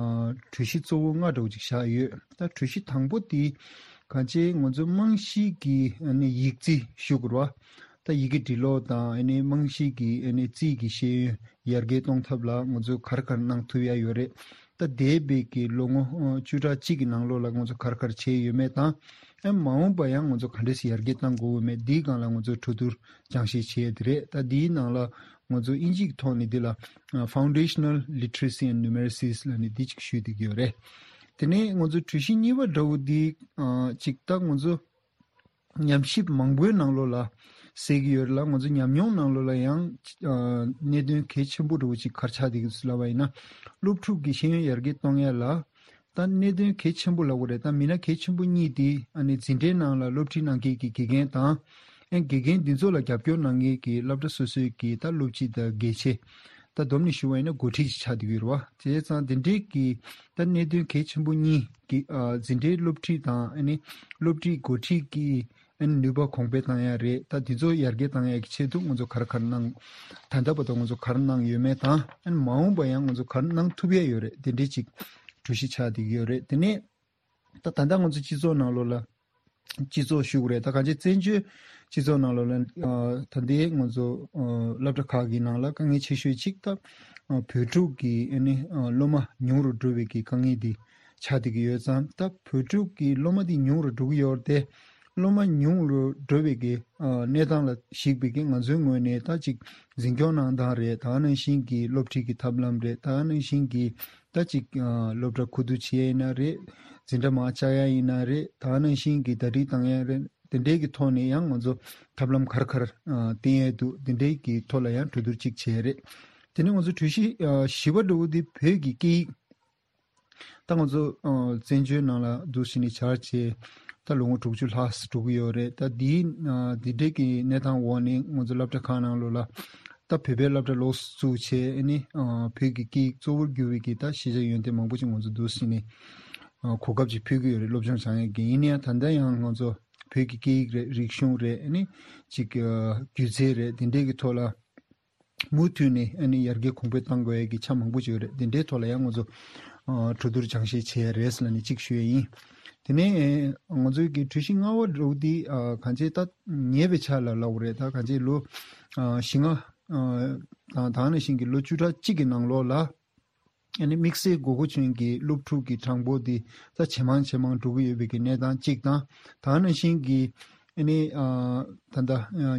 གྲོས་གཞི་གཙོ་བོ་ལྔ་འདྲ་བོ་ཅིག་བཞག་ཡོད། ད་གྲོས་གཞི་དང་པོ་དེ་གང་ཅི་ང་ཚོའི་རྨང་གཞིའི་གི་ཨ་ནི་ཡིག་རྩིས་ཞུ་དགོས་རེད་བ། ད་ཡི་གེ་འབྲི་ཀློག་དང་ཨ་ནི་རྨང་གཞིའི་གི་ཨ་ནི་རྩིས་ཀྱི་ཤེས་ཡོན་ཡར་རྒྱས་གཏོང་ཐབས་ལ་ང་ཚོས་ག་རེ་ག་རེ་གནང་ཐུབ་ཡ་ཡོད་རེད། ད་འདས་པའི་གི་ལོ་ངོ་ཨ་བཅུ་ཕྲག་གཅིག་གི་ནང་ལོགས་ལ་ང་ཚོ་ག་རེ་ག་རེ་བྱས་ཡོད་མེད་དང་། ཨ་མ་འོངས་པ་ཡང་ང་ཚོ་ག་འདྲས་སེ་ཡར་རྒྱས་གཏང་དགོས་ཡོད་མེད་འདིའི་སྒང་ལ་ང་ཚོ་གྲོས་བསྡུར་སྦྱང་བཤད་བྱས་ཡོད་དེ་རེད། ད་འདིའི་ནང་ལ་ང་ཚོ་ཨིན་ཇིའི་ཐོག་ནས་འདི་ལ་ཨ་Foundational Literacy and Numeracies ལབ་ནས་འདི་གཅིག་ཞུས་བསྡད་ཀྱི་ཡོད་རེད། དེ་ནས་ང་ཚོ་གྲོས་གཞི་གཉིས་པ་འདྲ་བོ་འདི་ཨ་གཅིག་ད་ང་ཚོ་ཉམས་ཞིབ་མང་པོའི་ནང་ལོགས་ལ་གསལ་གྱི་ཡོད་རེད་ལ། ང་ཚོ་ཉམས་མྱོང་ནང་ལོགས་ལ་ཡང་ཨ་གནད་དོན་གལ་ཆེན་པོ་འདྲ་བོ་ཅིག་ག་རེ་ཆགས་བསྡད་ཀྱི་འདུག་ལབ་པ་ཡིན་ན། སློབ་ཕྲུག་གི་ཤེས་ཡོན་ཡར་རྒྱས་གཏོང་ཡ་ལ་ད་གནད་དོན་གལ་ཆེན་པོ་ལབ་དགོས་རེད། ད་མི་སྣ་གལ་ཆེན་པོ་གཉིས་དེ་ཨ་ནི་འཛིན་གྲྭའི་ནང་ལ་སློབ་ཁྲིད་གནང་མཁན་གྱི་དགེ་རྒན་དང་། ཨ་དགེ་རྒན་འདི་ཚོ་ལ་རྒྱབ་སྐྱོར་གནང་མཁན་གྱི་སློབ་གྲྭ་སོ་སོའི་གི་ད་སློབ་སྤྱི་དང་དགེ་ཆེ། ད་བསྡོམས་ནས་ཞུ་བ་ཡིན་ན་འགོ་ཁྲིད་ཅིག་ཆགས་བསྡད་ཀྱི་ཡོད་རེད་བ། བྱས་ཙང་དེ་འདྲའི་གི་ད་གནད་དོན་གལ་ཆེན་པོ་གཉིས་ཀྱི་ཨ་འཛིན་གྲྭའི་སློབ་ཁྲིད་དང་ཨ་ནི་སློབ་ཁྲིད་འགོ་ཁྲིད་ཀྱི་ཨ་ནི་ནུས་པ་གོང་འཕེལ་བཏང་ཡ་རེད། ད་དེ་ཚོ་ཡར་རྒྱས་བཏང་ཡ་གི་ཆེད་དུ་ང་ཚོ་ག་རེ་ག་རེ་གནང་། ད་ལྟ་བར་དུ་ང་ཚོ་ག་རེ་གནང་ཡོད་མེད་དང་ཨ་ནི་མ་འོངས་པ་ཡང་ང་ཚོ་ག་རེ་གནང་ཐུབ་ཡ་ཡོད་རེད། དེ་འདྲའི་ཅིག་གྲོས་གཞི་ཆགས་བསྡད་ཀྱི་ཡོད་རེད། དེ་ནས་ད་ད་ལྟ་ང་ཚོ་སྤྱི་ཚོགས་ནང་ལོགས་ལ་སྤྱི་ཚོགས་ཞུ་དགོས་རེད། ད་གང་ཅི་བཙན་བྱོལ་སྤྱི་ཚོགས་ནང་ལོགས་ལ་ཨ་ད་ལྟའི་ང་ཚོ་ཨ་སློབ་གྲྭ་ཁག་གི་ནང་ལ་དཀའ་ངལ་ཆེ་ཤོས་གཅིག་ད་ཨ་བོད་ཕྲུག་གི་ཨ་ནི་ཨ་སློབ་མ་ཉུང་རུ་འགྲོ་བའི་གི་དཀའ་ངལ་འདི་ཆགས་བསྡད་ཀྱི་ཡོད་ཙང་། ད་བོད་ཕྲུག་གི་སློབ་མ་འདི་ཉུང་རུ་འགྲོ་གི་ཡོད་རེད་དེ། སློབ་མ་ཉུང་རུ་འགྲོ་བའི་གི་ཨ་གནས་སྟངས་ལ་གཞིགས་པའི་གི་ང་ཚོའི་ངོས་ནས་ད་ཅིག་འཛིན་སྐྱོང་གནང་སྟངས་རེད། ད་ག་ནང་བཞིན་གྱི་སློབ་ཁྲིད་ཀྱི་ཐབས་ལམ་རེད། ད་ག་ནང་བཞིན་གྱི་ད་ཅིག་ཨ་སློབ་གྲྭ་ཁུ་བསྡུ་བྱེད་ཡ་ཡིན་ན་རེད། འཛིན་གྲྭ་མར་བཅག་ཡ་ཡིན་ན་རེད། ད་ག་ནང་བཞིན་གྱི་ཟླ་སྒྲིལ་བཏང་ཡ་རེད། དེ་འདྲའི་གི་ཐོག་ནས་ཡང་ང་ཚོ་ཐབས་ལམ་ག་རེ་ག་རེ་ཨ་བསྟེན་ཡ་འདུག་དེ་འདྲའི་གི་ཐོག་ལ་ཡང་གྲོས་བསྡུར་ཅིག་བྱས་རེད། དེ་ནས་ང་ཚོ་གྲོས་གཞི་ཨ་བཞི་པ་འདྲ་བོ་འདི་བོད་ཀྱི་སྐད་ཡིག་ད་ང་ཚོ་ཨ་བཙན་བྱོལ་ནང་ལ་འདུག་སེ་ནས་བྱས་རྗེས་ད་ལོ་ངོ་དྲུག་ཅུ་ལྷག་འགྲོ་གི་ཡོད་རེད། ད་འདིའི་ཨ་འདི་འདྲའི་གི་གནས་སྟངས་འོག་ནས་ང་ཚོ་སློབ་གྲྭ་ཁག་ནང་ལོགས་ལ་ད་བོད་པའི་སློབ་གྲྭ་ལོགས་སུ་བཙུགས་བྱས། ཨ་ནི་ཨ་བོད་ཀྱི་སྐད་ཡིག་གཙོ་བོར་གྱུར་བའི་གི་ད་ཤེས་བྱ་ཡོན་ཏན་མང་པོ་ཅིག་ང་ཚོ་འདུག་སེ་ནས་ གོ་སྐབས་ཅིག་ཕུལ་གྱི་ཡོད་རེད། སློབ་སྦྱོང་སྦྱང་ཡས་ཀྱི། ཡིན་ན་ཡང་ད་ལྟ་ཡང་ང་ཚོ་བོད་ཀྱི་སྐད་ཡིག་རེད། རིག་གཞུང་རེད། ཨ་ནི་ཅིག་སྒྱུ་རྩལ་རེད། དེ་འདྲའི་གི་ཐོག་ལ་མུ་མཐུད་ནས་ཨ་ནི་ཡར་རྒྱས་གོང་འཕེལ་གཏང་དགོས་ཡས་ཀྱི་ཆ་མང་པོ་ཅིག་ཡོད་རེད། དེ་འདྲའི་ཐོག་ལ་ཡང་ང་ཚོ་གྲོས་བསྡུར་སྦྱང་བཤད་བྱེད་ཡས་རེད་ཟེར་ནས་གཅིག་ཞུ་ཡས་ཡིན། དེ་ནས་ང་ཚོའི་གི་གྲོས་གཞི་ལྔ་པ་འདྲ་བོ་འདི་གང་ཅི་ད་ཉེ་བའི་ཆར་ལ་ལབ་དགོས་རེད། ད་གང་ཅི་ལོ་བཞི་ལྔ་དང་ད་ནང་བཞིན་གྱི་ལོ་བཅུ་ཕྲག་གཅིག་གི་ནང་ལོགས་ལ། ཨ་ནི་དམིགས་བསལ་དགོས་མཁོ་ཆེན་གྱི་སློབ་ཕྲུག་གི་གྲངས་འབོར་འདི་ད་ཇེ་མང་ཇེ་མང་འགྲོ་གི་ཡོད་པའི་གི་གནས་སྟངས་གཅིག་དང་། ད་ནང་བཞིན་གྱི་ཨ་ནི་ད་ལྟ་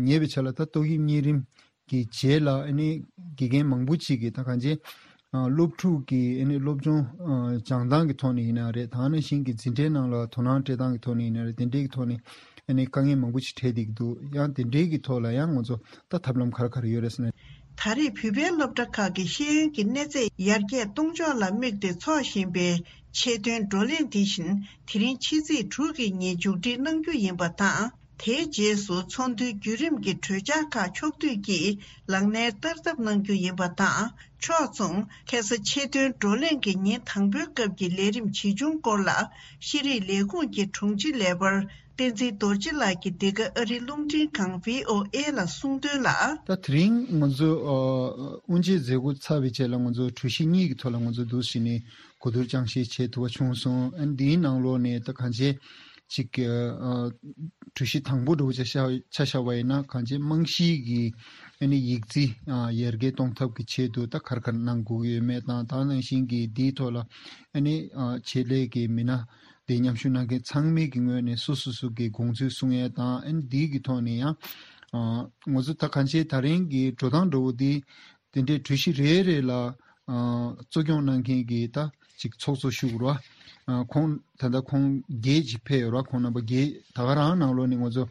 ཉེ་བའི་ཆར་ལ་ད་ཏོག་དབྱིབས་གཉན་རིམས་ཀྱི་རྗེས་ལ་ཨ་ནི་དགེ་རྒན་མང་པོ་ཅིག་གིས་ད་གང་ཅི་སློབ་ཕྲུག་གི་ཨ་ནི་སློབ་སྦྱོང་སྦྱང་སྟངས་ཀྱི་ཐོག་ནས་ཡིན་ན་རེད། ད་ནང་བཞིན་གྱི་འཛིན་གྲྭའི་ནང་ལ་དོ་སྣང་སྤྲད་སྟངས་ཀྱི་ཐོག་ནས་ཡིན་ན་རེད། དེ་འདྲའི་གི་ཐོག་ནས་ཨ་ནི་དཀའ་ངལ་མང་པོ་ཅིག་འཕྲད་བསྡད་ཀྱི་འདུག། ཡང་དེ་འདྲའི་གི་ཐོག་ལ་ཡང་ང་ཚོ་ད་ཐབས་ལམ་ག་རེ་ག་རེ་ཡོད་རེད་ཟེར་ན། ད་རེས་བོད་པའི་སློབ་གྲྭ་ཁག་གི་ཤེས་ཡོན་གྱི་གནས་ཚད་ཡར་རྒྱས་གཏོང་ཕྱོགས་ལ་དམིགས་ཏེ་འཚོགས་བཞིན་པའི་ཆེད་དོན་བགྲོ་གླེང་དེ་བཞིན་དེ་རིང་ཕྱི་ཚེས་དྲུག་གི་ཉིན་མཇུག་སྒྲིལ་གནང་རྒྱུ་ཡིན་པ་དང་། དེའི་རྗེས་སུ་ཚོགས་འདུའི་བརྒྱུད་རིམ་གྱི་གྲོས་འཆར་ཁག་ཕྱོགས་བསྡུས་ཀྱིས་ལག་ལེན་བསྟར་ཐབས་གནང་རྒྱུ་ཡིན་པ་དང་། ཕྱོགས་མཚུངས་ཁ་སང་ཆེད་དོན་བགྲོ་གླེང་གི་ཉིན་དང་པོའི་སྐབས་ཀྱི་ལས་རིམ་ཇི་བྱུང་སྐོར་ལ་ཤེས་རིག་ལས་ཁུངས་ཀྱི་དྲུང་ཆེ་ལས་འཕར་བསྟན་འཛིན་རྡོ་རྗེ་ལགས་ཀྱིས་འདི་ག་ཨ་རིའི་རླུང་འཕྲིན་ཁང་བྷི་ཨོ་ཨེ་ལ་གསུངས་དོན་ལ། ད་དེ་རིང་ང་ཚོ་ཨ་དབུ་འབྱེད་མཛད་སྒོ་ཚར་བའི་རྗེས་ལ་ང་ཚོ་གྲོས་གཞི་གཉིས་ཀྱི་ཐོག་ལ་ང་ཚོ་འདུག་སེ་ནས་གོ་བསྡུར་སྦྱང་བཤད་བྱེད་ཐུབ་པ་བྱུང་སོང་། ཨ་ནི་འདིའི་ནང་ལོགས་ནས་ད་གང་ཅི་ཅིག་ཨ་གྲོས་གཞི་དང་པོ་འདྲ་བོ་ཆ་བཞག་ཆ་བཞག་པ་ཡིན་ན་གང་ཅི་རྨང་གཞིའི་གི་ཨ་ནི་ཡིག་རྩིས་ཨ་ཡར་རྒྱས་གཏོང་ཐབས་ཀྱི་ཆེད་དུ་ད་ག་རེ་ག་རེ་གནང་དགོས་ཀྱི་ཡོད་མེད་དང་། ད་ནང་བཞིན་གྱི་འདིའི་ཐོག་ལ་ཨ་ནི་ཨ་ཆེད་ལས་ཀྱི་མི་སྣ། དེ་མཉམ་ཞུགས་གནང་མཁན་ཚང་མའི་གི་ངོས་ནས་སོ་སོ་སོ་གི་དགོངས་ཚུལ་གསུང་ཡས་དང་། ཨ་ནི་འདིའི་གི་ཐོག་ནས་ཡང་ཨ་ང་ཚོ་ད་གང་ཅི་ད་རིང་གི་འགྲོ་སྟངས་འདྲ་བོ་འདི་དེ་འདྲའི་གྲོས་གཞི་རེ་རེ་ལ་ཨ་གཙོ་སྐྱོང་གནང་མཁན་གྱི་ད་ཅིག་ཚོགས་གཙོ་ཞུ་དགོས་ར། ཨ་ཁོང་ད་ལྟ་ཁོང་བརྒྱད་ཅིག་ཕེབས་ཡོད་ར། ཁོང་རྣམ་པ་བརྒྱད་ད་ག་རང་ནང་ལོགས་ནས་ང་ཚོ་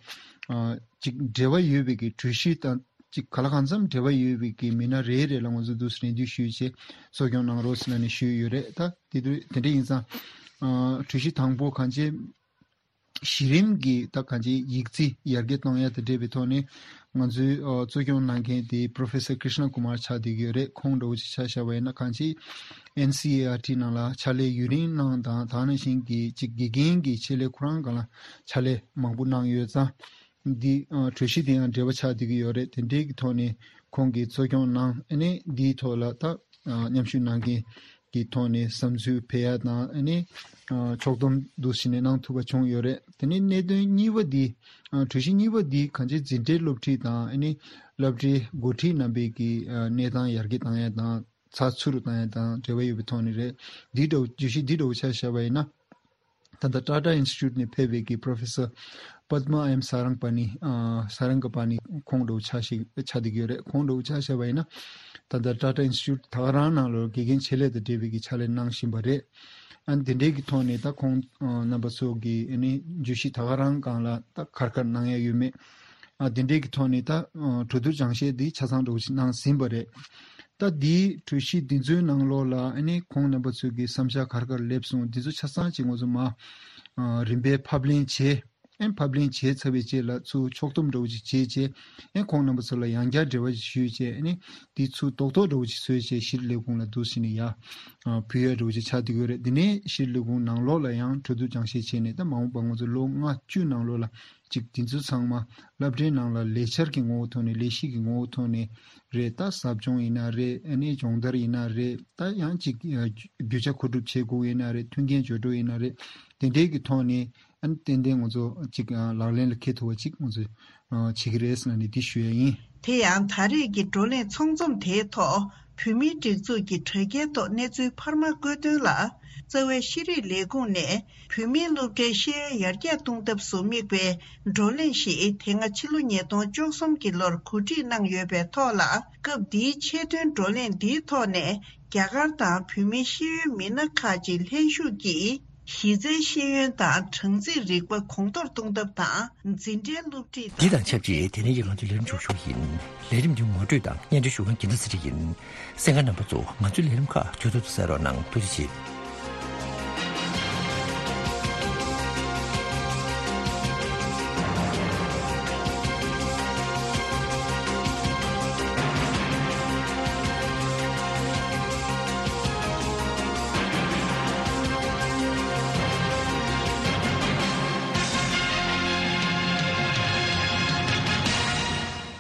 ཨ་ཅིག་འབྲེལ་བ་ཡོད་པའི་གི་གྲོས་གཞི་དང་། ཅིག་ག་ལ་གང་འཚམ་འབྲེལ་བ་ཡོད་པའི་གི་མི་སྣ་རེ་རེ་ལ་ང་ཚོ་འདུག་སེ་རེ་འདུན་ཞུས་བྱས་གཙོ་སྐྱོང་གནང་རོགས་ཟེར་ནས་ཞུས་ཡོད་རེད། ད་དེ་དུས་དེ་འདྲ་ཡིན་ཙང་ཨ་གྲོས་གཞི་དང་པོ་གང་ཅི་གཞི་རིམ་གྱི་ད་གང་ཅི་ཡིག་རྩིས་ཡར་རྒྱས་གཏོང་ཡ་དང་འབྲེལ་བའི་ཐོག་ནས་ང་ཚོའི་ཨ་གཙོ་སྐྱོང་གནང་མཁན་དེ་Professor Krishna Kumar ཆགས་བསྡད་ཀྱི་ཡོད་རེད། ཁོང་འདྲ་བོ་ཅིག་ཆ་བཞག་པ་ཡིན་ན་གང་ཅི་ཨེན་སི་ཨི་ཨར་ཊི་ནང་ལ་ཕྱག་ལས་ཡུན་རིང་གནང་དང་། ད་ནང་བཞིན་གྱི་ཅིག་དགེ་རྒན་གྱི་ཆེད་ལས་ཁོ་རང་སྒང་ལ་ཕྱག་ལས་མང་པོ་གནང་ཡོད་ཙང་། འདི་ཨ་གྲོས་གཞི་དེ་ཡང་འབྲེལ་བ་ཆགས་བསྡད་ཀྱི་ཡོད་རེད། དེ་འབྲེལ་གྱི་ཐོག་ནས་ཁོང་གིས་གཙོ་སྐྱོང་གནང་། ཨ་ནི་འདིའི་ཐོག་ལ་ད་ཨ་མཉམ་ཞུགས་གནང་མཁན་གྱི་ཐོག་ནས་བསམ་ཚུལ་སྤེལ་ཡ་དང་། ཨ་ནི་ཨ་ཕྱོགས་བསྡོམས་འདུག་སེ་ནས་གནང་ཐུབ་པ་བྱུང་ཡོད་རེད། དེ་ནས་གནད་དོན་གཉིས་པ་འདི་ཨ་གྲོས་གཞི་གཉིས་པ་འདི་གང་ཅི་འཛིན་གྲྭའི་སློབ་ཁྲིད་དང་། ཨ་ནི་སློབ་གྲྭའི་འགོ་ཁྲིད་རྣམ་པའི་གི་ཨ་གནས་སྟངས་ཡར་རྒྱས་བཏང་ཡ་དང་། ཚགས་ཚུད་རུ་བཏང་ཡ་དང་འབྲེལ་བ་ཡོད་པའི་ཐོག་ནས་རེད། འདི་འདྲ་བོ་བརྗོད་གཞི་འདི་འདྲ་བོ་ཆ་བཞག་པ་ཡིན་ན། ད་ལྟ་Tata Institute ནས་ཕེབས་པའི་གི་Professor Padma M Sarangpani ཨ་Sarangapani ཁོང་འདྲ་བོ་ཆ་ཞིག་ཆགས་བསྡད་ཀྱི་ཡོད་རེད། ཁོང་འདྲ་བོ་ཆ་བཞག་པ་ཡིན་ན། ད་ལྟ་Tata Institute ད་ག་རང་ནང་ལོགས་དགེ་རྒན་ཆེད་ལས་དང་འབྲེལ་བའི་གི་ཕྱག་ལས་གནང་བཞིན་པ་རེད། ཨ་ནི་དེ་འདྲའི་གི་ཐོག་ནས་ད་ཁོང་ཨ་རྣམ་པ་ཚོ་གི་ཨ་ནི་བརྗོད་གཞི་ད་ག་རང་སྒང་ལ་ད་ག་རེ་ག་རེ་གནང་ཡ་ཡོད་མེད། ཨ་དེ་འདྲའི་གི་ཐོག་ནས་ད་ཨ་གྲོས་བསྡུར་སྦྱང་བཤད་འདི་ཆ་ཚང་འདྲ་བོ་ཞིག་གནང་ཟིན་པ་རེད། ད་འདིའི་གྲོས་གཞི་འདི་ཚོའི་ནང་ལོགས་ལ་ཨ་ནི་ཁོང་རྣམ་པ་ཚོས་ཀྱི་བསམ་འཆར་ག་རེ་ག་རེ་སླེབས་སོང་། འདི་ཚོ་ཆ་ཚང་ཅིག་ང་ཚོ་མ་ཨ་རིམ་པས་ཕབ་ལེན་བྱས། ཨ་ནི་ཕབ་ལེན་བྱས་ཚར་བའི་རྗེས་ལ་ཚུར་ཕྱོགས་བསྡོམས་འདྲ་བོ་ཅིག་བྱས་རྗེས། ཨ་ནི་ཁོང་རྣམ་པ་ཚོ་ལ་ཡང་བསྐྱར་འབྲེལ་བ་ཞིག་ཞུས་རྗེས། ཨ་ནི་འདི་ཚུར་རྡོག་རྡོག་འདྲ་བོ་ཅིག་བཟོས་རྗེས་ཕྱིར་ལས་ཁུངས་ལ་འདུག་སེ་ནས་ཡར་ཨ་ཕུལ་ཡ་འདྲ་བོ་ཅིག་ཆགས་བསྡད་ཀྱི་ཡོད་རེད། འདི་ནས་ཕྱིར་ལས་ཁུངས་ནང་ལོགས་ལ་ཡང་གྲོས་བསྡུར་སྦྱང་བཤད་བྱས་ནས། ད་མ་འོངས་པ་ང་ཚོ་ལོ་ལྔ་བཅུ་ནང་ལོགས་ལ་ཅིག་འདི་ཚོ་ཚང་མ་སློབ་གྲྭའི་ནང་ལ་ལས་འཆར་གྱི་ངོ་བོ་ཐོག་ནས། ལས་གཞི་གི་ངོ་བོ་ཐོག་ནས་རེད། ད་ཟབ་སྦྱོང་ཡིན་ན་རེད། ཨ་ནི་སྦྱོང་བརྡར་ཡིན་ན་རེད། ད་ཡང་ཅིག་ཨ་རྒྱུ་ཆ་མཁོ་སྒྲུབ་བྱེད་དགོས་ཡིན་ན་རེད། མཐུན་རྐྱེན་སྦྱོར་སྤྲོད་ཡིན་ན་རེད། དེ་འདྲའི་གི་ཐོག་ནས་ཨ་ནི་ཏན་ཏན་ང་ཚོ་ཅིག་ཨ་ལག་ལེན་ལ་འཁེལ་ཐུབ་པ་ཅིག་ང་ཚོས་ཨ་བྱེད་ཀྱི་རེད་ཟེར་ནས་འདི་ཞུ་ཡ་ཡིན། དེ་ཡང་ད་རེས་ཀྱི་བགྲོ་གླེང་ཚོགས་འཛོམས་དེའི་ཐོག་བོད་མིའི་སྒྲིག་འཛུགས་ཀྱི་དྲ་རྒྱའི་ཐོག་གནས་ཚུལ་འཕར་མ་བཀོད་དོན་ལ། རྩ་བའི་ཤེས་རིག་ལས་ཁུངས་ནས་བོད་མིའི་སློབ་གྲྭའི་ཤེས་ཡོན་ཡར་རྒྱས་གཏོང་ཐབས་སུ་དམིགས་པའི་བགྲོ་གླེང་ཞིག་དེ་སྔ་ཕྱི་ལོ་ཉིས་སྟོང་བཅུ་གསུམ་གྱི་ལོར་གོ་སྒྲིག་གནང་ཡོད་པའི་ཐོག་ལ། སྐབས་འདིའི་ཆེད་དོན་བགྲོ་གླེང་འདིའི་ཐོག་ནས་རྒྱ་གར་དང་བོད་མིའི་ཤེས་ཡོན་མི་སྣ་ཁག་ཅིག་ལྷན་ཞུགས་ཀྱིས་གཞི་རྩའི་ཤེས་ཡོན་དང་སྦྲང་རྩིའི་རིག་པ་གོང་མཐོར་གཏོང་ཐབས་དང་། འཛིན་གྲྭའི་སློབ་ཁྲིད་དང་། འདི་དང་ཆབས་ཅིག་དེ་རིང་གི་ང་ཚོའི་ལས་རིམ་མཇུག་ཞུགས་ཡིན། ལས་རིམ་འདི་ངོ་སྤྲོད་དང་སྙན་སྒྲོན་ཞུ་མཁན་འགྱུར་མེད་ཚེ་རིང་ཡིན། གསན་མཁན་རྣམ་པ་ཚོ་ང་ཚོའི་ལས་རིམ་ཁག་མཇུག་བསྡུ་དུ་གསན་རོགས་གནང་། ཐུགས་རྗེ་ཆེ།